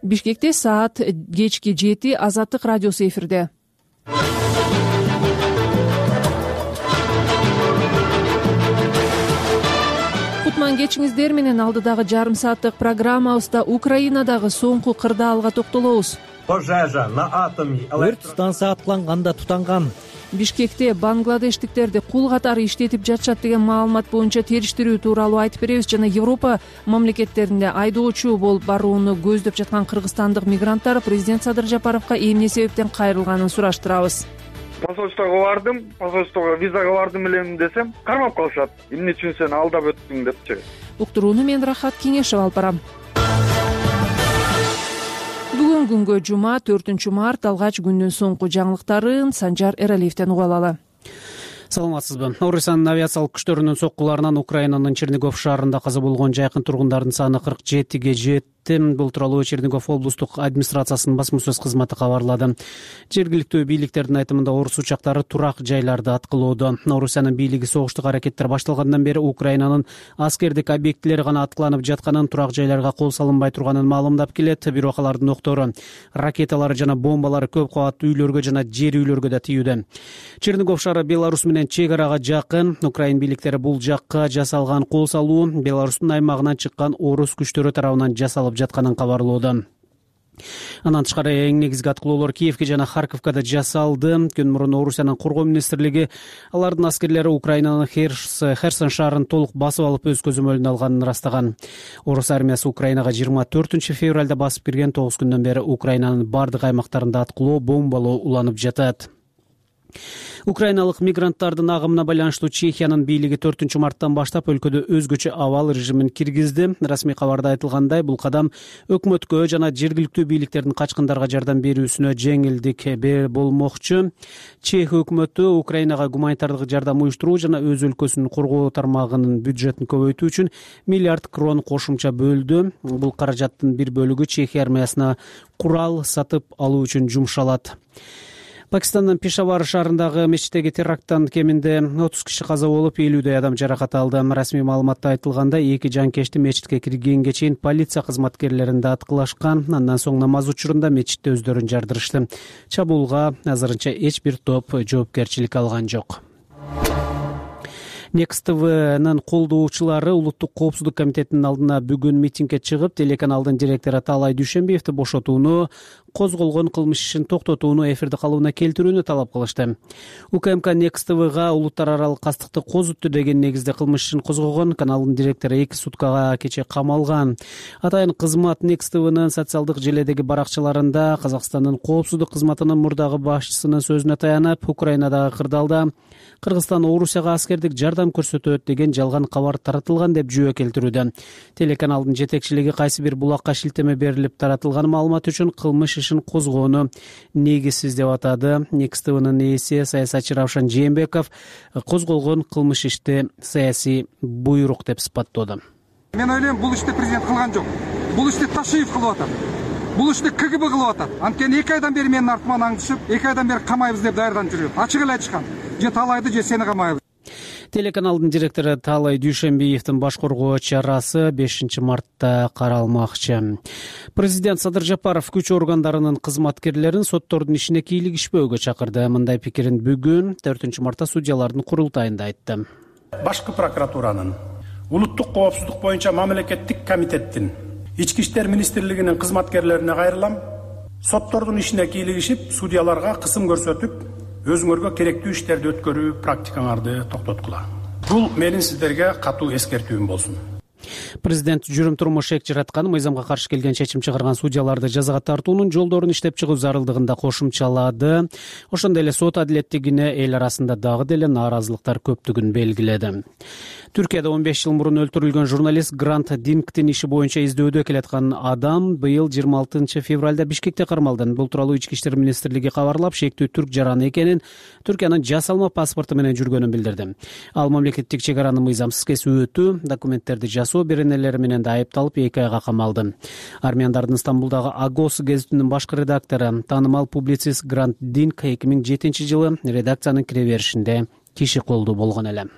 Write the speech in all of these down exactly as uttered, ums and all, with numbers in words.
Бишкекте саат кечки жети Азаттык радиосу эфирде. Кутман кечиңиздер менен алдыдагы жарым сааттык программабызда Украинадагы соңку кырдаалга токтолобуз. Пожежа на атоме. Өрт станция аткыланганда тутанган. Бишкекте бангладештиктерди кул катары иштетип жатышат деген маалымат боюнча териштирүү тууралуу айтып беребиз. Жана Европа мамлекеттеринде айдоочу болуп барууну көздөп жаткан кыргызстандык мигранттар президент Садыр Жапаровго эмне себептен кайрылганын сураштырабыз. Посольствого бардым, посольствого визага бардым элем десем, кармап калышат. Эмне үчүн сен алдап өттүң депчи. Уктурууну мен Рахат Кеңешев алып барам. Бүгүн күнгө жума төртүнчү март алгач күндүн соңку жаңылыктарын Санжар Эралиевден угуп алалы. Саламатсызбы. Орусиянын авиациялык күчтөрүнүн соккуларынан Украинанын Чернигов шаарында каза болгон жайкын тургундардын саны кырк жетиге жетти. Бул тууралуу Чернигов облустук администрациясынын басма-сөз кызматы кабарлады. Жергиликтүү бийликтердин айтымында орус учактары турак жайларды аткылоодо. Орусиянын бийлиги согуштук аракеттер башталгандан бери Украинанын аскердик объектилери гана аткыланып жатканын, турак жайларга кол салынбай турганын маалымдап келет. Бирок алардын октору, ракеталары жана бомбалары көп кабаттуу үйлөргө жана жер үйлөргө да тийүүдө. Чернигов шаары Беларусь менен чек арага жакын. Украин бийликтери бул жакка жасалган кол салуу Беларустун аймагынан чыккан орус күчтөрү тарабынан жасалып жатканын кабарлоодо. Андан тышкары эң негизги аткылоолор Киевке жана Харьковго да жасалды. Күн мурун Орусиянын коргоо министрлиги алардын аскерлери Украинанын Херсон шаарын толук басып алып өз көзөмөлүнө алганын ырастаган. Орус армиясы Украинага жыйырма төртүнчү февралда басып кирген. тогуз күндөн бери Украинанын бардык аймактарында аткылоо, бомбалоо уланып жатат. Украиналык мигранттардын агымына байланыштуу Чехиянын бийлиги төртүнчү марттан баштап өлкөдө өзгөчө абал режимин киргизди. Расмий кабарда айтылгандай, бул кадам өкмөткө жана жергиликтүү бийликтердин качкындарга жардам берүүсүнө жеңилдик болмокчу. Чех өкмөтү Украинага гуманитардык жардам уюштуруу жана өз өлкөсүнүн коргоо тармагынын бюджетин көбөйтүү үчүн миллиард крон кошумча бөлдү. Бул каражаттын бир бөлүгү Чехия армиясына курал сатып алуу үчүн жумшалат. Пакистандын Пешавар шаарындагы мечиттеги теракттан кеминде отуз киши каза болуп, элүүдөй адам жаракат алды. Расмий маалыматта айтылгандай, эки жанкечти мечитке киргенге чейин полиция кызматкерлеринде аткылашкан. Андан соң намаз учурунда мечитте өздөрүн жардырышты. Чабуулга азырынча эч бир топ жоопкерчилик алган жок. Next T V'нын колдоочулары Улуттук коопсуздук комитетинин алдына бүгүн митингге чыгып, телеканалдын директору Таалай Дүйшөнбиевди бошотууну, козголгон кылмыш ишин токтотууну, эфирде калууна келтирүүнү талап кылышты. УКМК Next T V'га улуттар аралык кастыкты козутту деген негизде кылмыш ишин козгогон. Каналдын директору эки суткага кече камалган. Атайын кызмат Next T V'нын социалдык желедеги баракчаларында Казакстандын коопсуздук кызматынын мурдагы башчысынын сөзүнө таянып, Украинадагы кырдаалда Кыргызстан Орусияга аскердик жардам көрсөтөт деген жалган кабар таратылган деп жүйө келтирүүдө. Телеканалдын жетекчилиги кайсы бир булакка шилтеме берилип таратылган маалымат үчүн кылмыш ишин козгоону негизсиз деп атады. Next T V'нын ээси саясатчы Равшан Жээнбеков козголгон кылмыш ишти саясий буйрук деп сыпаттоодо. Мен ойлойм, бул ишти президент кылган жок. Бул ишти Ташиев кылып атат. Бул ишти К Г Б кылып атат. Анткени эки айдан бери менин артыман аңдышып, эки айдан бери камайбыз деп даярданып жүрөт. Ачык эле айтышкан. Же Таалайды, же сени камайбыз. Телеканалдын директору Таалай Дүйшөнбиевдин баш коргоо чарасы бешинчи мартта каралмакчы. Президент Садыр Жапаров күч органдарынын кызматкерлерин соттордун ишине кийлигишпөөгө чакырды. Мындай пикирин бүгүн төртүнчү мартта судьялардын курултайында айтты. Башкы прокуратуранын, улуттук коопсуздук боюнча мамлекеттик комитеттин, ички иштер министрлигинин кызматкерлерине кайрылам. Соттордун ишине кийлигишип, судьяларга кысым көрсөтүп, өзүңөргө керектүү иштерди өткөрүү практикаңарды токтоткула. Бул менин сиздерге катуу эскертүүм болсун. Президент жүрүм турмуш эк жараткан, мыйзамга каршы келген чечим чыгарган судьяларды жазага тартуунун жолдорун иштеп чыгуу зарылдыгын да кошумчалады. Ошондой эле сот адилеттигине эл арасында дагы деле нааразылыктар көптүгүн белгиледи. Түркияда он беш жыл мурун өлтүрүлгөн журналист Грант Дингтин иши боюнча издөөдө келаткан адам быйыл жыйырма алтынчы февралда Бишкекте кармалды. Бул тууралуу Ички иштер министрлиги кабарлап, шектүү түрк жараны экенин, Түркиянын жасалма паспорту менен жүргөнүн билдирди. Ал мамлекеттик чек араны мыйзамсыз кесип өтүү, документтерди жасоо беренелери менен да айыпталып эки айга камалды. Армяндардын Стамбулдагы Агос гезитинин башкы редактору, таанымал публицист Грант Динг эки миң жетинчи жылы редакциянын кире беришинде киши колдуу болгон эле.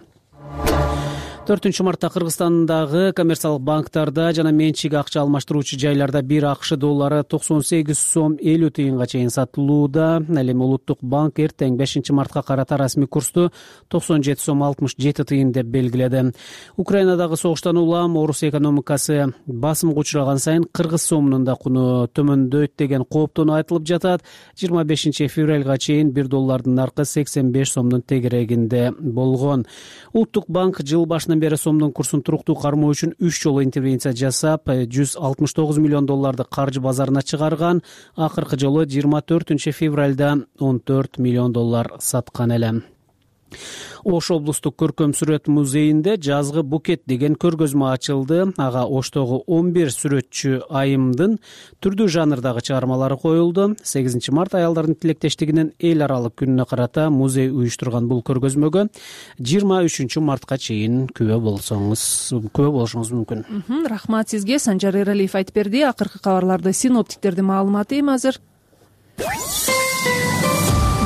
төртүнчү мартта Кыргызстандагы коммерциялык банктарда жана менчик акча алмаштыруучу жайларда бир акш доллары токсон сегиз сом элүү тыйынга чейин сатылууда. Ал эми Улуттук банк эртең бешинчи мартка карата расмий курсту токсон жети сом алтымыш жети тыйын деп белгиледи. Украинадагы согуштан улам орус экономикасы басымга учураган сайын кыргыз сомунун да куну төмөндөйт деген кооптону айтылып жатат. жыйырма бешинчи февралга чейин бир доллардын наркы сексен беш сомдун тегерегинде болгон. Улуттук банк жыл башынан бери сомдун курсун туруктуу кармоо үчүн үч жолу интервенция жасап, жүз алтымыш тогуз миллион долларды каржы базарына чыгарган. Акыркы жолу жыйырма төртүнчү февралда он төрт миллион доллар саткан эле. Ош облустук көркөм сүрөт музейинде жазгы букет деген көргөзмө ачылды. Ага Оштогу он бир сүрөтчү айымдын түрдүү жанрдагы чыгармалары коюлду. сегизинчи март аялдардын тилектештигинин эл аралык күнүнө карата музей уюштурган бул көргөзмөгө жыйырма үчүнчү мартка чейин күбө болсоңуз, күбө болушуңуз мүмкүн. Рахмат сизге. Санжар Эралиев айтып берди. Акыркы кабарларды синоптиктердин маалыматы эми азыр.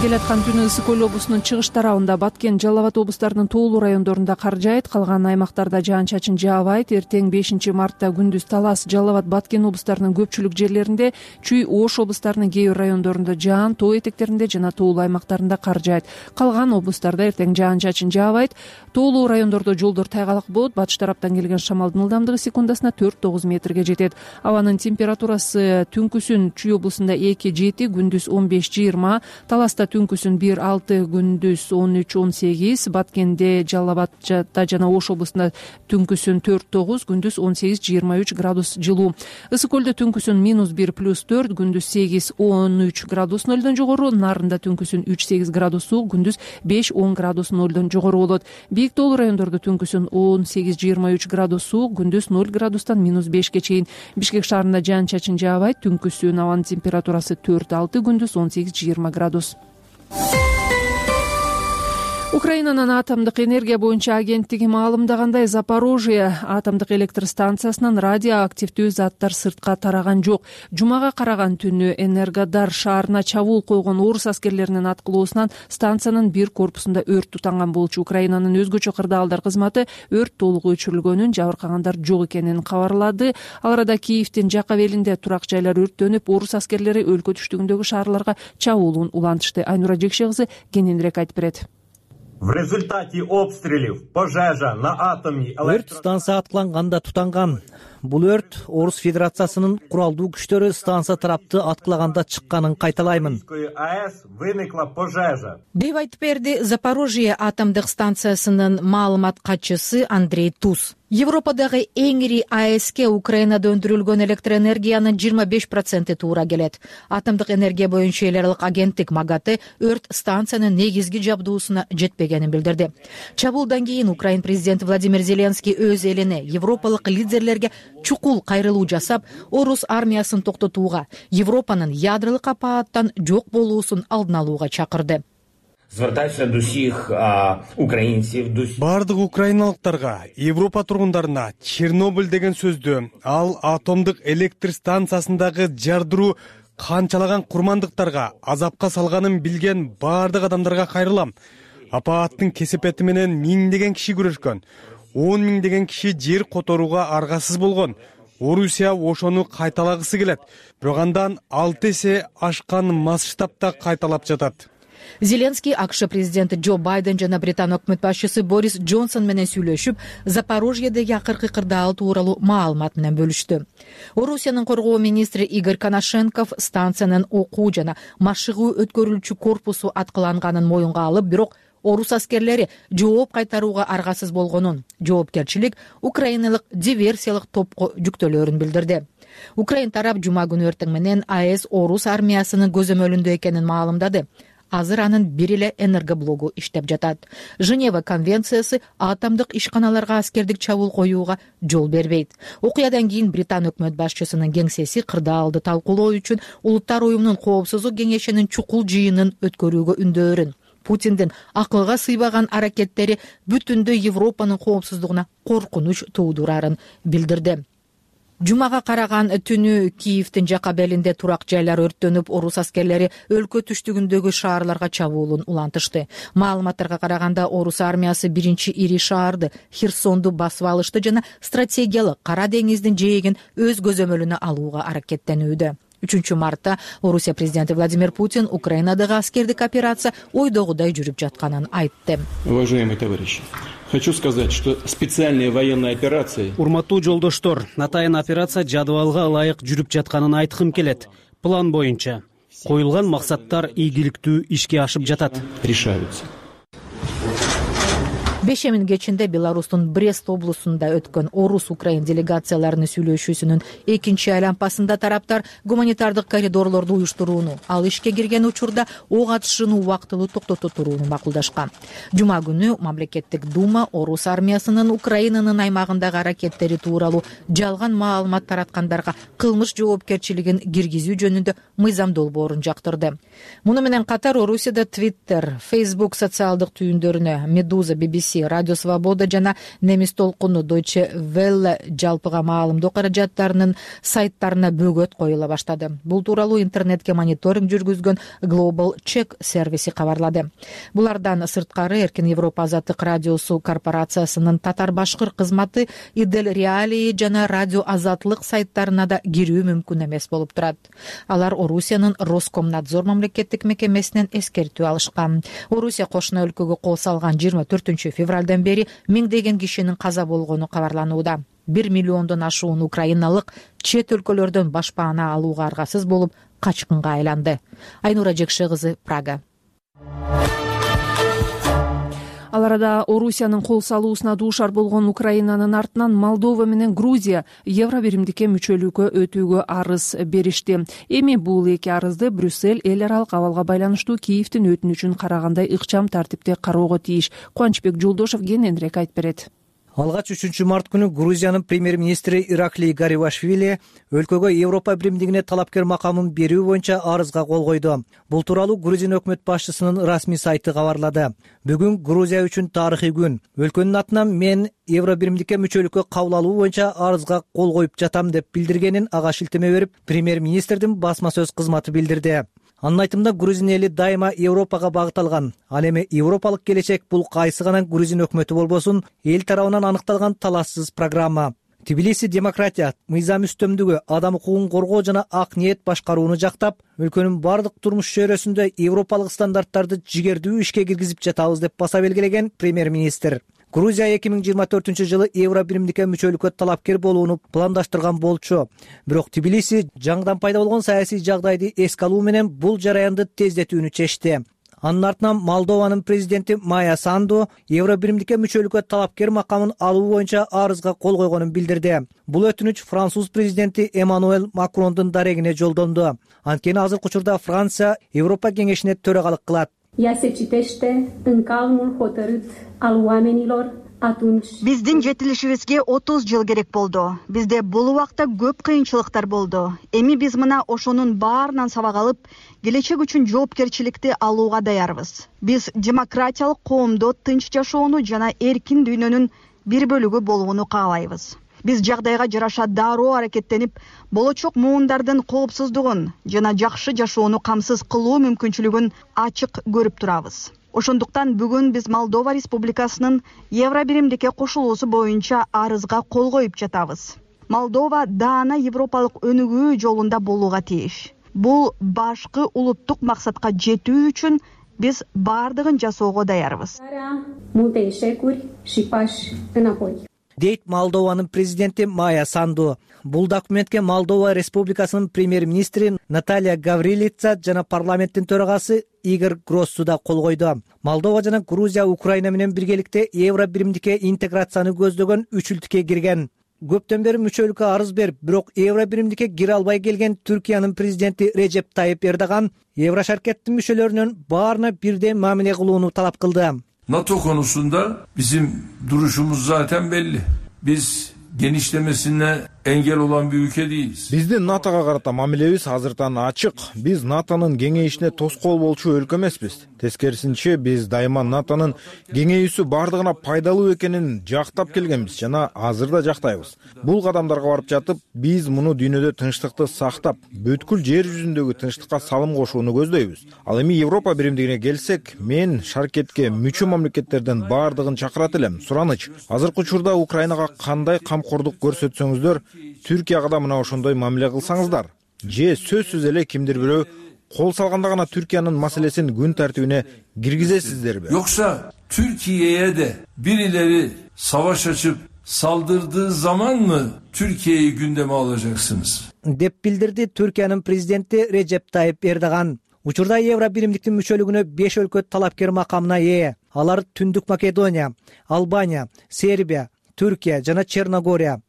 Келаткан түнү Ысык Көл облусунун чыгыш тарабында Баткен, Жалал Абад облустарынын тоолуу райондорунда кар жаайт, калган аймактарда жаан-чачын жаабайт. Эртең бешинчи мартта күндүз Талас, Жалал Абад, Баткен облустарынын көпчүлүк жерлеринде, Чүй, Ош облустарынын кээ бир райондорунда жаан, тоо этектеринде жана тоолуу аймактарында кар жаайт. Калган облустарда эртең жаан-чачын жаабайт. Тоолуу райондордо жолдор тайгалак болот. Батыш тараптан келген шамалдын ылдамдыгы секундасына төрт тогуз метрге жетет. Абанын температурасы түнкүсүн Чүй облусунда эки жети, күндүз он беш жыйырма, Таласта түнкүсүн бир алты, күндүз он үч он сегиз, Баткенде, Жалал Абадда жана Ош облусунда түнкүсүн төрт тогуз, күндүз он сегиз жыйырма үч градус жылуу. Ысык Көлдө түнкүсүн минус бир плюс төрт, күндүз сегиз он үч градус нөлдөн жогору, Нарында түнкүсүн үч сегиз градус суук, күндүз беш он градус нөлдөн жогору болот. Бийик тоолуу райондордо түнкүсүн он сегиз жыйырма үч градус суук, күндүз ноль градустан минус бешке чейин. Бишкек шаарында жаан-чачын жаабайт, түнкүсүн абанын температурасы төрт алты, күндүз он сегиз жыйырма градус. Украинанын атомдук энергия боюнча агенттиги маалымдагандай, Запорожье атомдук электр станциясынан радиоактивдүү заттар сыртка тараган жок. Жумага караган түнү Энергодар шаарына чабуул койгон орус аскерлеринин аткылоосунан станциянын бир корпусунда өрт тутанган болчу. Украинанын өзгөчө кырдаалдар кызматы өрт толук өчүрүлгөнүн, жабыркагандар жок экенин кабарлады. Ал арада Киевдин жак абелинде турак жайлар өрттөнүп, орус аскерлери өлкө түштүгүндөгү шаарларга чабуулун улантышты. Айнура Жекше кызы кененирээк айтып берет. В результате обстрелов пожежа на атомной өрт станция аткыланганда тутанган. Бул өрт Орус Федерациясынын куралдуу күчтөрү станция тарапты аткылаганда чыкканын кайталаймын. АЭС выныкла пожежа. деп айтып берди Запорожье атомдук станциясынын маалымат катчысы Андрей Туз. Европадагы эң ири АЭСке Украинада өндүрүлгөн электр энергиянын жыйырма беш проценти туура келет. Атомдук энергия боюнча эл аралык агенттик МАГАТЭ өрт станциянын негизги жабдуусуна жетпегенин билдирди. Чабуулдан кийин Украин президенти Владимир Зеленский өз элине, европалык лидерлерге чукул кайрылуу жасап, орус армиясын токтотууга, Европанын ядролук апааттан жок болуусун алдын алууга чакырды. Звертаюся до всіх українців, до бардык украиналыктарга, Европа тургундарына Чернобыль деген сөздү, ал атомдук электр станциясындагы жардыруу канчалаган курмандыктарга азапка салганын билген бардык адамдарга кайрылам. Апааттын кесепети менен миңдеген киши күрөшкөн, он миңдеген киши жер которууга аргасыз болгон. Орусия ошону кайталагысы келет, бирок андан алты эсе ашкан масштабта кайталап жатат. Зеленский АКШ президенти Джо Байден жана Британ өкмөт башчысы Борис Джонсон менен сүйлөшүп, Запорожьедеги акыркы кырдаал тууралуу маалымат менен бөлүштү. Орусиянын коргоо министри Игорь Коношенков станциянын окуу жана машыгуу өткөрүлчү корпусу аткыланганын моюнга алып, бирок орус аскерлери жооп кайтарууга аргасыз болгонун, жоопкерчилик украиналык диверсиялык топко жүктөлөрүн билдирди. Украин тарап жума күнү эртең менен АЭС орус армиясынын көзөмөлүндө экенин маалымдады. Азыр анын бир эле энергоблогу иштеп жатат. Женева конвенциясы атомдук ишканаларга аскердик чабуул коюуга жол бербейт. Окуядан кийин Британ өкмөт башчысынын кеңсеси кырдаалды талкуулоо үчүн Улуттар уюмунун коопсуздук кеңешинин чукул жыйынын өткөрүүгө үндөөрүн. Путиндин акылга сыйбаган аракеттери бүтүндөй Европанын коопсуздугуна коркунуч туудурарын билдирди. Жумага караган түнү Киевдин жакка белинде турак жайлар өрттөнүп, орус аскерлери өлкө түштүгүндөгү шаарларга чабуулун улантышты. Маалыматтарга караганда орус армиясы биринчи ири шаарды Херсонду басып алышты жана стратегиялык Кара деңиздин жээгин өз көзөмөлүнө алууга аракеттенүүдө. үчүнчү мартта Орусия президенти Владимир Путин Украинадагы аскердик операция ойдогудай жүрүп жатканын айтты. Уважаемые товарищи, хочу сказать, что специальная военная операция... Урматтуу жолдоштор, атайын операция жадыбалга ылайык жүрүп жатканын айткым келет. План боюнча коюлган максаттар ийгиликтүү ишке ашып жатат. Решаются. Бешемин кечинде Беларустун Брест облусунда өткөн орус-украин делегацияларынын сүйлөшүүсүнүн экинчи айланпасында тараптар гуманитардык коридорлорду уюштурууну, ал ишке кирген учурда ок атышууну убактылуу токтото турууну макулдашкан. Жума күнү мамлекеттик дума орус армиясынын Украинанын аймагындагы аракеттери тууралуу жалган маалымат тараткандарга кылмыш жоопкерчилигин киргизүү жөнүндө мыйзам долбоорун жактырды. Муну менен катар Орусияда Twitter, Facebook социалдык түйүндөрүнө, Медуза, би би си, Радио Свобода жана Немис толкуну Deutsche Welle жалпыга маалымдоо каражаттарынын сайттарына бөгөт коюла баштады. Бул тууралуу интернетке мониторинг жүргүзгөн Global Check сервиси кабарлады. Булардан сырткары Эркин Европа Азаттык радиосу корпорациясынын татар-башкыр кызматы, Идел Реалии жана Радио Азатлык сайттарына да кирүү мүмкүн эмес болуп турат. Алар Орусиянын Роскомнадзор мамлекеттик мекемесинен эскертүү алышкан. Орусия кошуна өлкөгө кол салган жыйырма төртүнчү февралдан бери миңдеген кишинин каза болгону кабарланууда. Бир миллиондон ашуун украиналык чет өлкөлөрдөн башпаана алууга аргасыз болуп качкынга айланды. Айнура Жекше кызы, Прага. Ал арада Орусиянын кол салуусуна дуушар болгон Украинанын артынан Молдова менен Грузия Евробиримдикке мүчөлүккө өтүүгө арыз беришти. Эми бул эки арызды Брюссель эл аралык абалга байланыштуу Киевдин өтүнүчүн карагандай ыкчам тартипте кароого тийиш. Кубанычбек Жолдошов кененирээк айтып берет. Алгач үчүнчү март күнү Грузиянын премьер-министри Ираклий Гарибашвили өлкөгө Европа биримдигине талапкер макамын берүү боюнча арызга кол койду. Бул тууралуу Грузин өкмөт башчысынын расмий сайты кабарлады. Бүгүн Грузия үчүн тарыхый күн. Өлкөнүн атынан мен Евробиримдикке мүчөлүккө кабыл алуу боюнча арызга кол коюп жатам деп билдиргенин ага шилтеме берип, премьер-министрдин басма сөз кызматы билдирди. Анын айтымында грузин эли дайыма Европага багыт алган. Ал эми европалык келечек бул кайсы гана грузин өкмөтү болбосун, эл тарабынан аныкталган талашсыз программа. Тбилиси демократия, мыйзам үстөмдүгү, адам укугун коргоо жана ак ниет башкарууну жактап, өлкөнүн бардык турмуш чөйрөсүндө европалык стандарттарды жигердүү ишке киргизип жатабыз деп баса белгилеген премьер-министр. Грузия эки миң жыйырма төртүнчү жылы Евробиримдикке мүчөлүккө талапкер болууну пландаштырган болчу. Бирок Тбилиси жаңыдан пайда болгон саясий жагдайды эске алуу менен бул жараянды тездетүүнү чечти. Анын артынан Молдованын президенти Майя Санду Евробиримдикке мүчөлүккө талапкер макамын алуу боюнча арызга кол койгонун билдирди. Бул өтүнүч француз президенти Эммануэль Макрондун дарегине жолдонду. Анткени азыркы учурда Франция Европа кеңешине төрагалык кылат. Ea se citește în calmul hotărât al oamenilor atunci. Биздин жетилишибизге отуз жыл керек болду. Бизде бул убакта көп кыйынчылыктар болду. Эми биз мына ошонун баарынан сабак алып, келечек үчүн жоопкерчиликти алууга даярбыз. Биз демократиялык коомдо тынч жашоону жана эркин дүйнөнүн бир бөлүгү болууну каалайбыз. Биз жагдайга жараша дароо аракеттенип, болочок муундардын коопсуздугун жана жакшы жашоону камсыз кылуу мүмкүнчүлүгүн ачык көрүп турабыз. Ошондуктан бүгүн биз Молдова Республикасынын Евробиримдикке кошулуусу боюнча арызга кол коюп жатабыз. Молдова даана европалык өнүгүү жолунда болууга тийиш. Бул башкы улуттук максатка жетүү үчүн биз бардыгын жасоого даярбыз. Дейт Молдованын президенти Майя Санду. Бул документке Молдова Республикасынын премьер-министри Наталья Гаврилица жана парламенттин төрагасы Игорь Гроссу да кол койду. Молдова жана Грузия Украина менен биргеликте Евробиримдикке интеграцияны көздөгөн үчүлтүккө кирген. Көптөн бери мүчөлүккө арыз берип, бирок Евробиримдикке кире албай келген Түркиянын президенти Режеп Тайып Эрдоган Еврошаркеттин мүчөлөрүнүн баарына бирдей мамиле кылууну талап кылды. NATO konusunda bizim duruşumuz zaten belli. Biz genişlemesine engel olan bir ülke değiliz. Биздин НАТОга карата мамилебиз азыртан ачык. Биз НАТОнун кеңейишине тоскоол болчу өлкө эмеспиз. Тескерисинче, биз дайыма НАТОнун кеңейүүсү бардыгына пайдалуу экенин жактап келгенбиз жана азыр да жактайбыз. Бул кадамдарга барып жатып, биз муну дүйнөдө тынчтыкты сактап, бүткүл жер жүзүндөгү тынчтыкка салым кошууну көздөйбүз. Ал эми Европа биримдигине келсек, мен шаркетке мүчө мамлекеттерден бардыгын чакырат элем. Сураныч, азыркы учурда Украинага кандай камкордук көрсөтсөңүздөр, Түркияга да мына ошондой мамиле кылсаңыздар, же сөзсүз эле кимдир бирөө кол салганда гана Türkiye'nin маселесин күн тартибине киргизесиздерби? Yoksa Türkiye'ye de birileri savaş açıp saldırdığı zaman mı Türkiye'yi gündeme alacaksınız? деп билдирди Түркиянын президенти Режеп Тайып Эрдоган. Учурда Евро биримдиктин мүчөлүгүнө беш өлкө талапкер макамына ээ. Алар Түндүк Македония, Албания, Сербия, Түркия жана Черногория.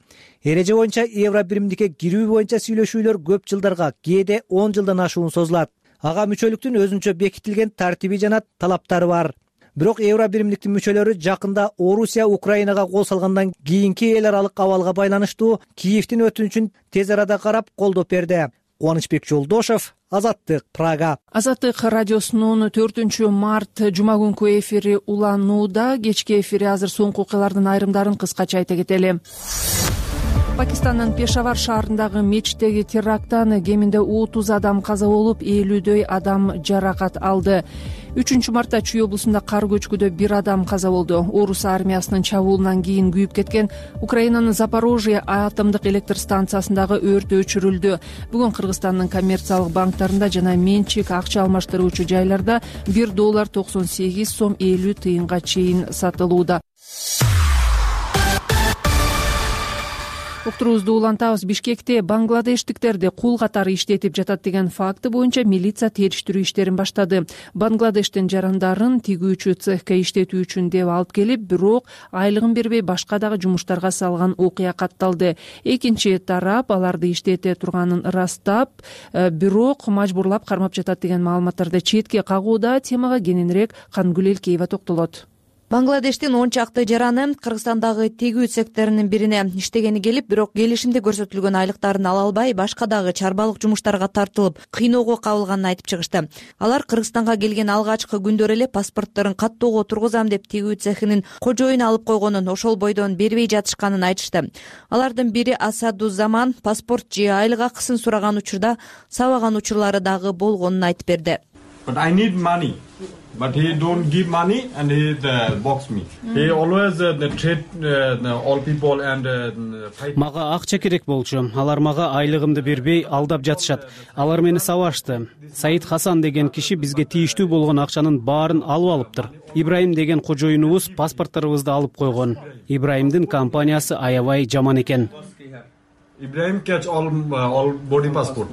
Эреже боюнча Евро биримдикке кирүү боюнча сүйлөшүүлөр көп жылдарга, кээде он жылдан ашуун созулат. Ага мүчөлүктүн өзүнчө бекитилген тартиби жана талаптары бар. Бирок Евро биримдиктин мүчөлөрү жакында Орусия Украинага кол салгандан кийинки эл аралык абалга байланыштуу Киевдин өтүнүчүн тез арада карап колдоп берди. Кубанычбек Жолдошев, Азаттык, Прага. Азаттык радиосунун төртүнчү март жума күнкү эфири уланууда. Кечки эфири азыр соңку окуялардын айрымдарын кыскача айта кетели. Пакистандын Пешавар шаарындагы мечиттеги теракттан кеминде отуз адам каза болуп, элүүдөй адам жаракат алды. үчүнчү мартта Чүй облусунда кар көчкүдө бир адам каза болду. Орус армиясынын чабуулунан кийин күйүп кеткен Украинанын Запорожье атомдук электр станциясындагы өрт өчүрүлдү. Бүгүн Кыргызстандын коммерциялык банктарында жана менчик акча алмаштыруучу жайларда бир доллар токсон сегиз сом элүү тыйынга чейин сатылууда. Уктуруубузду улантабыз. Бишкекте бангладештиктерди кул катары иштетип жатат деген факты боюнча милиция териштирүү иштерин баштады. Бангладештин жарандарын тигүүчү цехке иштетүү үчүн деп алып келип, бирок айлыгын бербей башка дагы жумуштарга салган окуя катталды. Экинчи тарап аларды иштете турганын ырастап, бирок мажбурлап кармап жатат деген маалыматтарды четке кагууда. Темага кененирээк Кангүл Элкеева токтолот. Бангладештин он чакты жараны Кыргызстандагы тегүү цехтеринин бирине иштегени келип, бирок келишимде көрсөтүлгөн айлыктарын ала албай, башка дагы чарбалык жумуштарга тартылып, кыйноого кабылганын айтып чыгышты. Алар Кыргызстанга келген алгачкы күндөр эле паспортторун каттоого тургузам деп тегүү цехинин кожоюну алып койгонун, ошол бойдон бербей жатышканын айтышты. Алардын бири Асадузаман паспорт же айлык акысын сураган учурда сабаган учурлары дагы болгонун айтып берди. But I need money. But he don't give money and he uh, box me. Mm. He always uh, treat uh, all people and uh, Мага акча керек болчу. Алар мага айлыгымды бербей алдап жатышат. Алар мени сабашты. Саид Хасан деген киши бизге тийиштүү болгон акчанын баарын алып алыптыр. Ибраим деген кожоюнубуз паспортторубузду алып койгон. Ибраимдин компаниясы аябай жаман экен. Ибраим catch all uh, all body passport.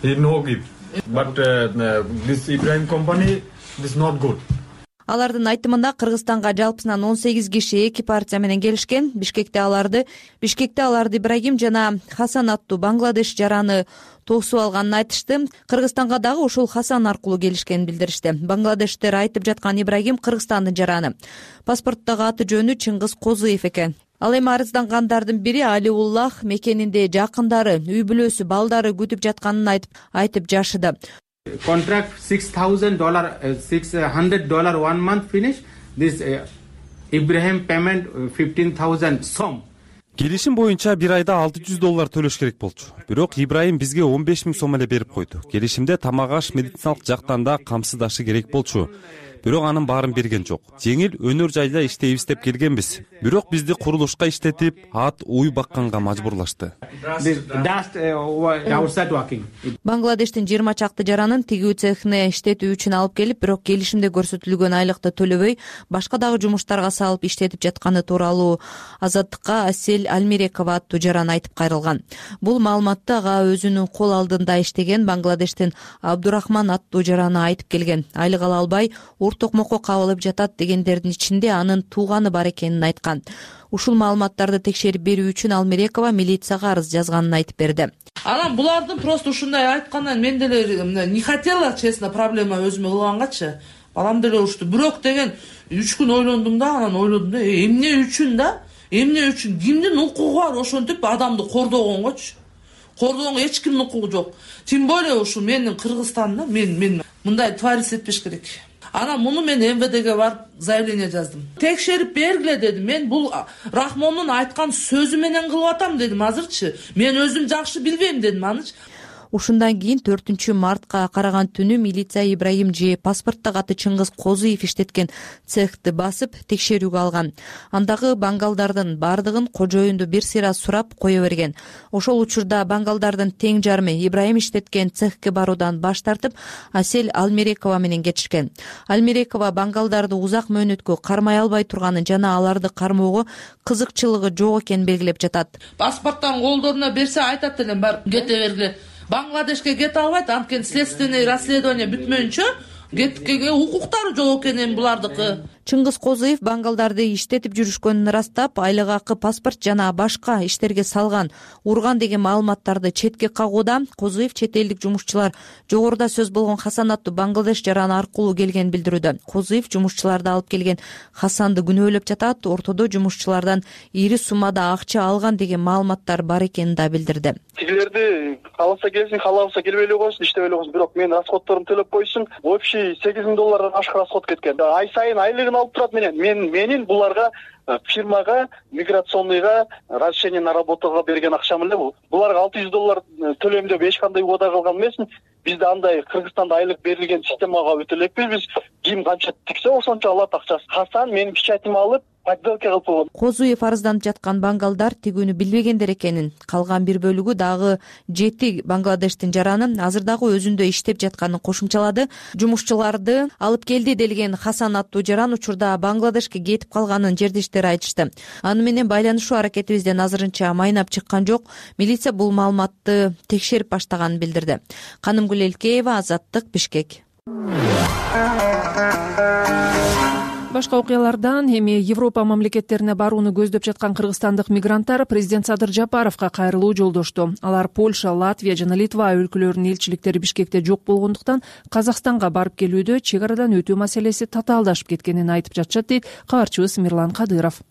He no give. But uh, this Ibrahim company is not good. Алардын айтымында Кыргызстанга жалпысынан он сегиз киши эки партия менен келишкен. Бишкекте аларды Бишкекте аларды Ибрагим жана Хасан аттуу Бангладеш жараны тосуп алганын айтышты. Кыргызстанга дагы ушул Хасан аркылуу келишкенин билдиришти. Бангладештер айтып жаткан Ибрагим Кыргызстандын жараны. Паспорттогу аты жөнү Чыңгыз Козуев экен. Ал эми арыздангандардын бири Алиуллах мекенинде жакындары, үй бүлөсү, балдары күтүп жатканын айтып айтып жашыды. Contract six thousand dollars, six hundred dollars one month finish. This uh, Ibrahim payment fifteen thousand сом. Келишим боюнча бир айда алты жүз доллар төлөш керек болчу. Бирок Ибраим бизге он беш миң сом эле берип койду. Келишимде тамак аш, медициналык жактан да камсыздашы керек болчу. Бирок анын баарын берген жок. Жеңил өнөр жайда иштейбиз деп келгенбиз. Бирок бизди курулушка иштетип, ат уй бакканга мажбурлашты. Бангладештин жыйырма чакты жаранын тигүү цехине иштетүү үчүн алып келип, бирок келишимде көрсөтүлгөн айлыкты төлөбөй, башка дагы жумуштарга салып иштетип жатканы тууралуу Азаттыкка Асель Альмирекова аттуу жаран айтып кайрылган. Бул маалыматты ага өзүнүн кол алдында иштеген Бангладештин Абдурахман аттуу жараны айтып келген. Айлык ала албай токмокко кабылып жатат дегендердин ичинде анын тууганы бар экенин айткан. Ушул маалыматтарды текшерип берүү үчүн Алмирекова милицияга арыз жазганын айтып берди. Анан булардын просто ушундай айткандан мен деле не хотела, честно, проблема өзүмө кылгангачы. Балам деле ушту. Бирок деген үч күн ойлондум да, анан ойлодум да, эмне үчүн да? эмне үчүн кимдин укугу бар ошентип адамды кордогонгочу? Кордогонго эч кимдин укугу жок. Тем более ушу менин Кыргызстанда мен мен мындай творец этпеш керек. Анан муну мен эм вэ дге барып заявление жаздым. Текшерип бергиле дедим. Мен бул Рахмондун айткан сөзү менен кылып атам дедим азырчы. Мен өзүм жакшы билбейм дедим анычы. Ушундан кийин төртүнчү мартка караган түнү милиция Ибраим же паспортток аты Чыңгыз Козуев иштеткен цехти басып текшерүүгө алган. Андагы бангалдардын бардыгын кожоюнду бир сыйра сурап кое берген. Ошол учурда бангалдардын тең жарымы Ибраим иштеткен цехке баруудан баш тартып, Асель Алмерекова менен кетишкен. Алмерекова бангалдарды узак мөөнөткө кармай албай турганын жана аларды кармоого кызыкчылыгы жок экенин белгилеп жатат. Паспорттан колдоруна берсе айтат элем, бар кете бергиле. Бангладешке кете албайт, анткени следственный расследование бүтмөйүнчө кеткенге укуктары жок экен булардыкы. Чыңгыз Козуев бангалдарды иштетип жүрүшкөнүн ырастап, айлык акы, паспорт жана башка иштерге салган, урган деген маалыматтарды четке кагууда. Козуев чет элдик жумушчулар жогоруда сөз болгон Хасан аттуу Бангладеш жараны аркылуу келгенин билдирүүдө. Козуев жумушчуларды алып келген Хасанды күнөөлөп жатат, ортодо жумушчулардан ири суммада акча алган деген маалыматтар бар экенин да билдирди. Тигилерди кааласа келсин, каалабаса келбей эле койсун, иштебей эле койсун, бирок менин расходторумду төлөп койсун. Общий сегиз миң доллардан ашык расход кеткен. Ай сайын айлыгын алып турат менен. Мен менин буларга фирмага, миграционныйга разрешение на работага берген акчам эле бул. Буларга алты жүз доллар төлөйм деп эч кандай убада кылган эмесмин. Бизде андай Кыргызстанда айлык берилген системага өтө элекпиз. Биз ким канча тиксе ошончо алат акчасын. Хасан менин печатимди алып подделка кылып койгон. Козуев арызданып жаткан бангалдар тигүүнү билбегендер экенин, калган бир бөлүгү дагы жети Бангладештин жаранын азыр дагы өзүндө иштеп жатканын кошумчалады. Жумушчуларды алып келди делген Хасан аттуу жаран учурда Бангладешке кетип калганын жердештери айтышты. Аны менен байланышуу аракетибизден азырынча майнап чыккан жок. Милиция бул маалыматты текшерип баштаганын билдирди. Канымгүл Элкеева, Азаттык, Бишкек. Башка окуялардан эми Европа мамлекеттерине барууну көздөп жаткан кыргызстандык мигранттар президент Садыр Жапаровго кайрылуу жолдошту. Алар Польша, Латвия жана Литва өлкөлөрүнүн элчиликтери Бишкекте жок болгондуктан Казакстанга барып келүүдө чек арадан өтүү маселеси татаалдашып кеткенин айтып жатышат, дейт кабарчыбыз Мирлан Кадыров.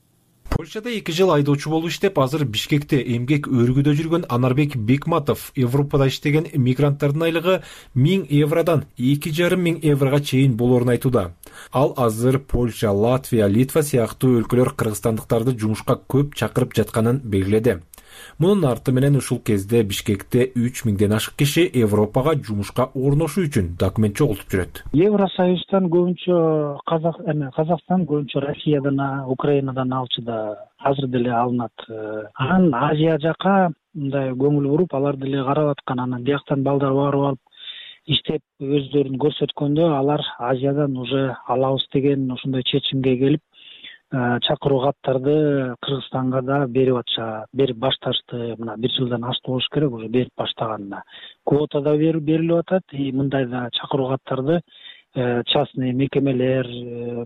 Польшада эки жыл айдоочу болуп иштеп, азыр Бишкекте эмгек өргүдө жүргөн Анарбек Бекматов Европада иштеген мигранттардын айлыгы миң евродон эки жарым миң еврого чейин болоорун айтууда. Ал азыр Польша, Латвия, Литва сыяктуу өлкөлөр кыргызстандыктарды жумушка көп чакырып жатканын белгиледи. Мунун арты менен ушул кезде Бишкекте үч миңден ашык киши Европага жумушка орношуу үчүн документ чогултуп жүрөт. Евросоюздан көбүнчө Казак, эме Казакстан, көбүнчө Россиядан, Украинадан алчу да азыр деле алынат. Анан Азия жака мындай көңүл буруп, алар деле карап аткан, анан бияктан балдар барып алып иштеп өздөрүн көрсөткөндө алар Азиядан уже алабыз деген ошондой чечимге келип, чакыруу каттарды Кыргызстанга да берип атышат, берип башташты. Мына бир жылдан ашты болуш керек, уже берип баштаганына. Квота да берилип атат, и мындай да чакыруу каттарды частный мекемелер,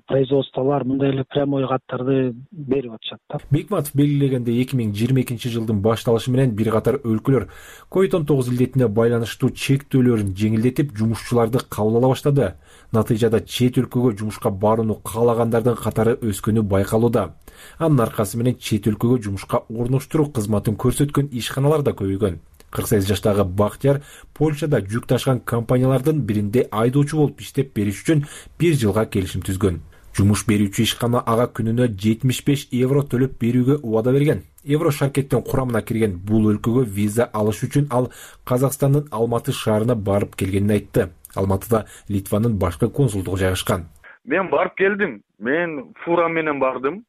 производстволор мындай эле прямой каттарды берип атышат. Бекматов белгилегендей эки миң жыйырма экинчи жылдын башталышы менен бир катар өлкөлөр ковид он тогуз илдетине байланыштуу чектөөлөрүн жеңилдетип, жумушчуларды кабыл ала баштады. Натыйжада чет өлкөгө жумушка барууну каалагандардын катары өскөнү байкалууда. Анын аркасы менен чет өлкөгө жумушка орноштуруу кызматын көрсөткөн ишканалар да көбөйгөн. кырк сегиз жаштагы Бактияр Польшада жүк ташыган компаниялардын биринде айдоочу болуп иштеп бериш үчүн бир жылга келишим түзгөн. Жумуш берүүчү ишкана ага күнүнө жетимиш беш евро төлөп берүүгө убада берген. Евро шаркеттин курамына кирген бул өлкөгө виза алыш үчүн ал Казакстандын Алматы шаарына барып келгенин айтты. Алматыда Литванын башкы консулдугу жайгашкан. Мен барып келдим. Мен фура менен бардым.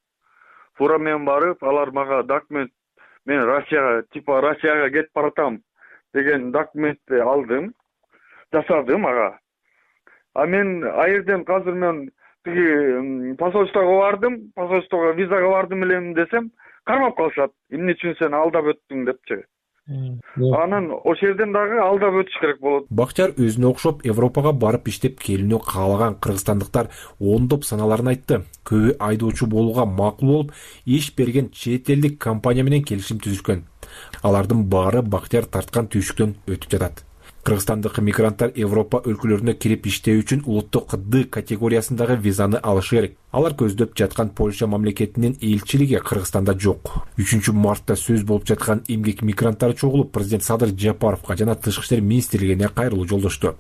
Фура менен барып, алар мага документ, мен Россияга, типа Россияга кетип баратам деген документти алдым, жасадым ага. А мен айырден азыр мен тиги посольствого бардым, посольствого визага бардым элем десем, кармап калышат. Эмне үчүн сен алдап өттүң депчи. Анан ошол жерден дагы алдап өтүш керек болот. Бактияр өзүнө окшоп Европага барып иштеп келүүнү каалаган кыргызстандыктар ондоп саналарын айтты. Көбү айдоочу болууга макул болуп, иш берген чет элдик компания менен келишим түзүшкөн. Алардын баары Бактияр тарткан түйшүктөн өтүп жатат. кыргызстандык мигранттар Европа өлкөлөрүнө кирип иштөө үчүн улуттук Д категориясындагы визаны алышы керек. Алар көздөп жаткан Польша мамлекетинин элчилиги Кыргызстанда жок. үчүнчү мартта сөз болуп жаткан эмгек мигранттары чогулуп, президент Садыр Жапаровго жана Тышкы иштер министрлигине кайрылуу жолдошту.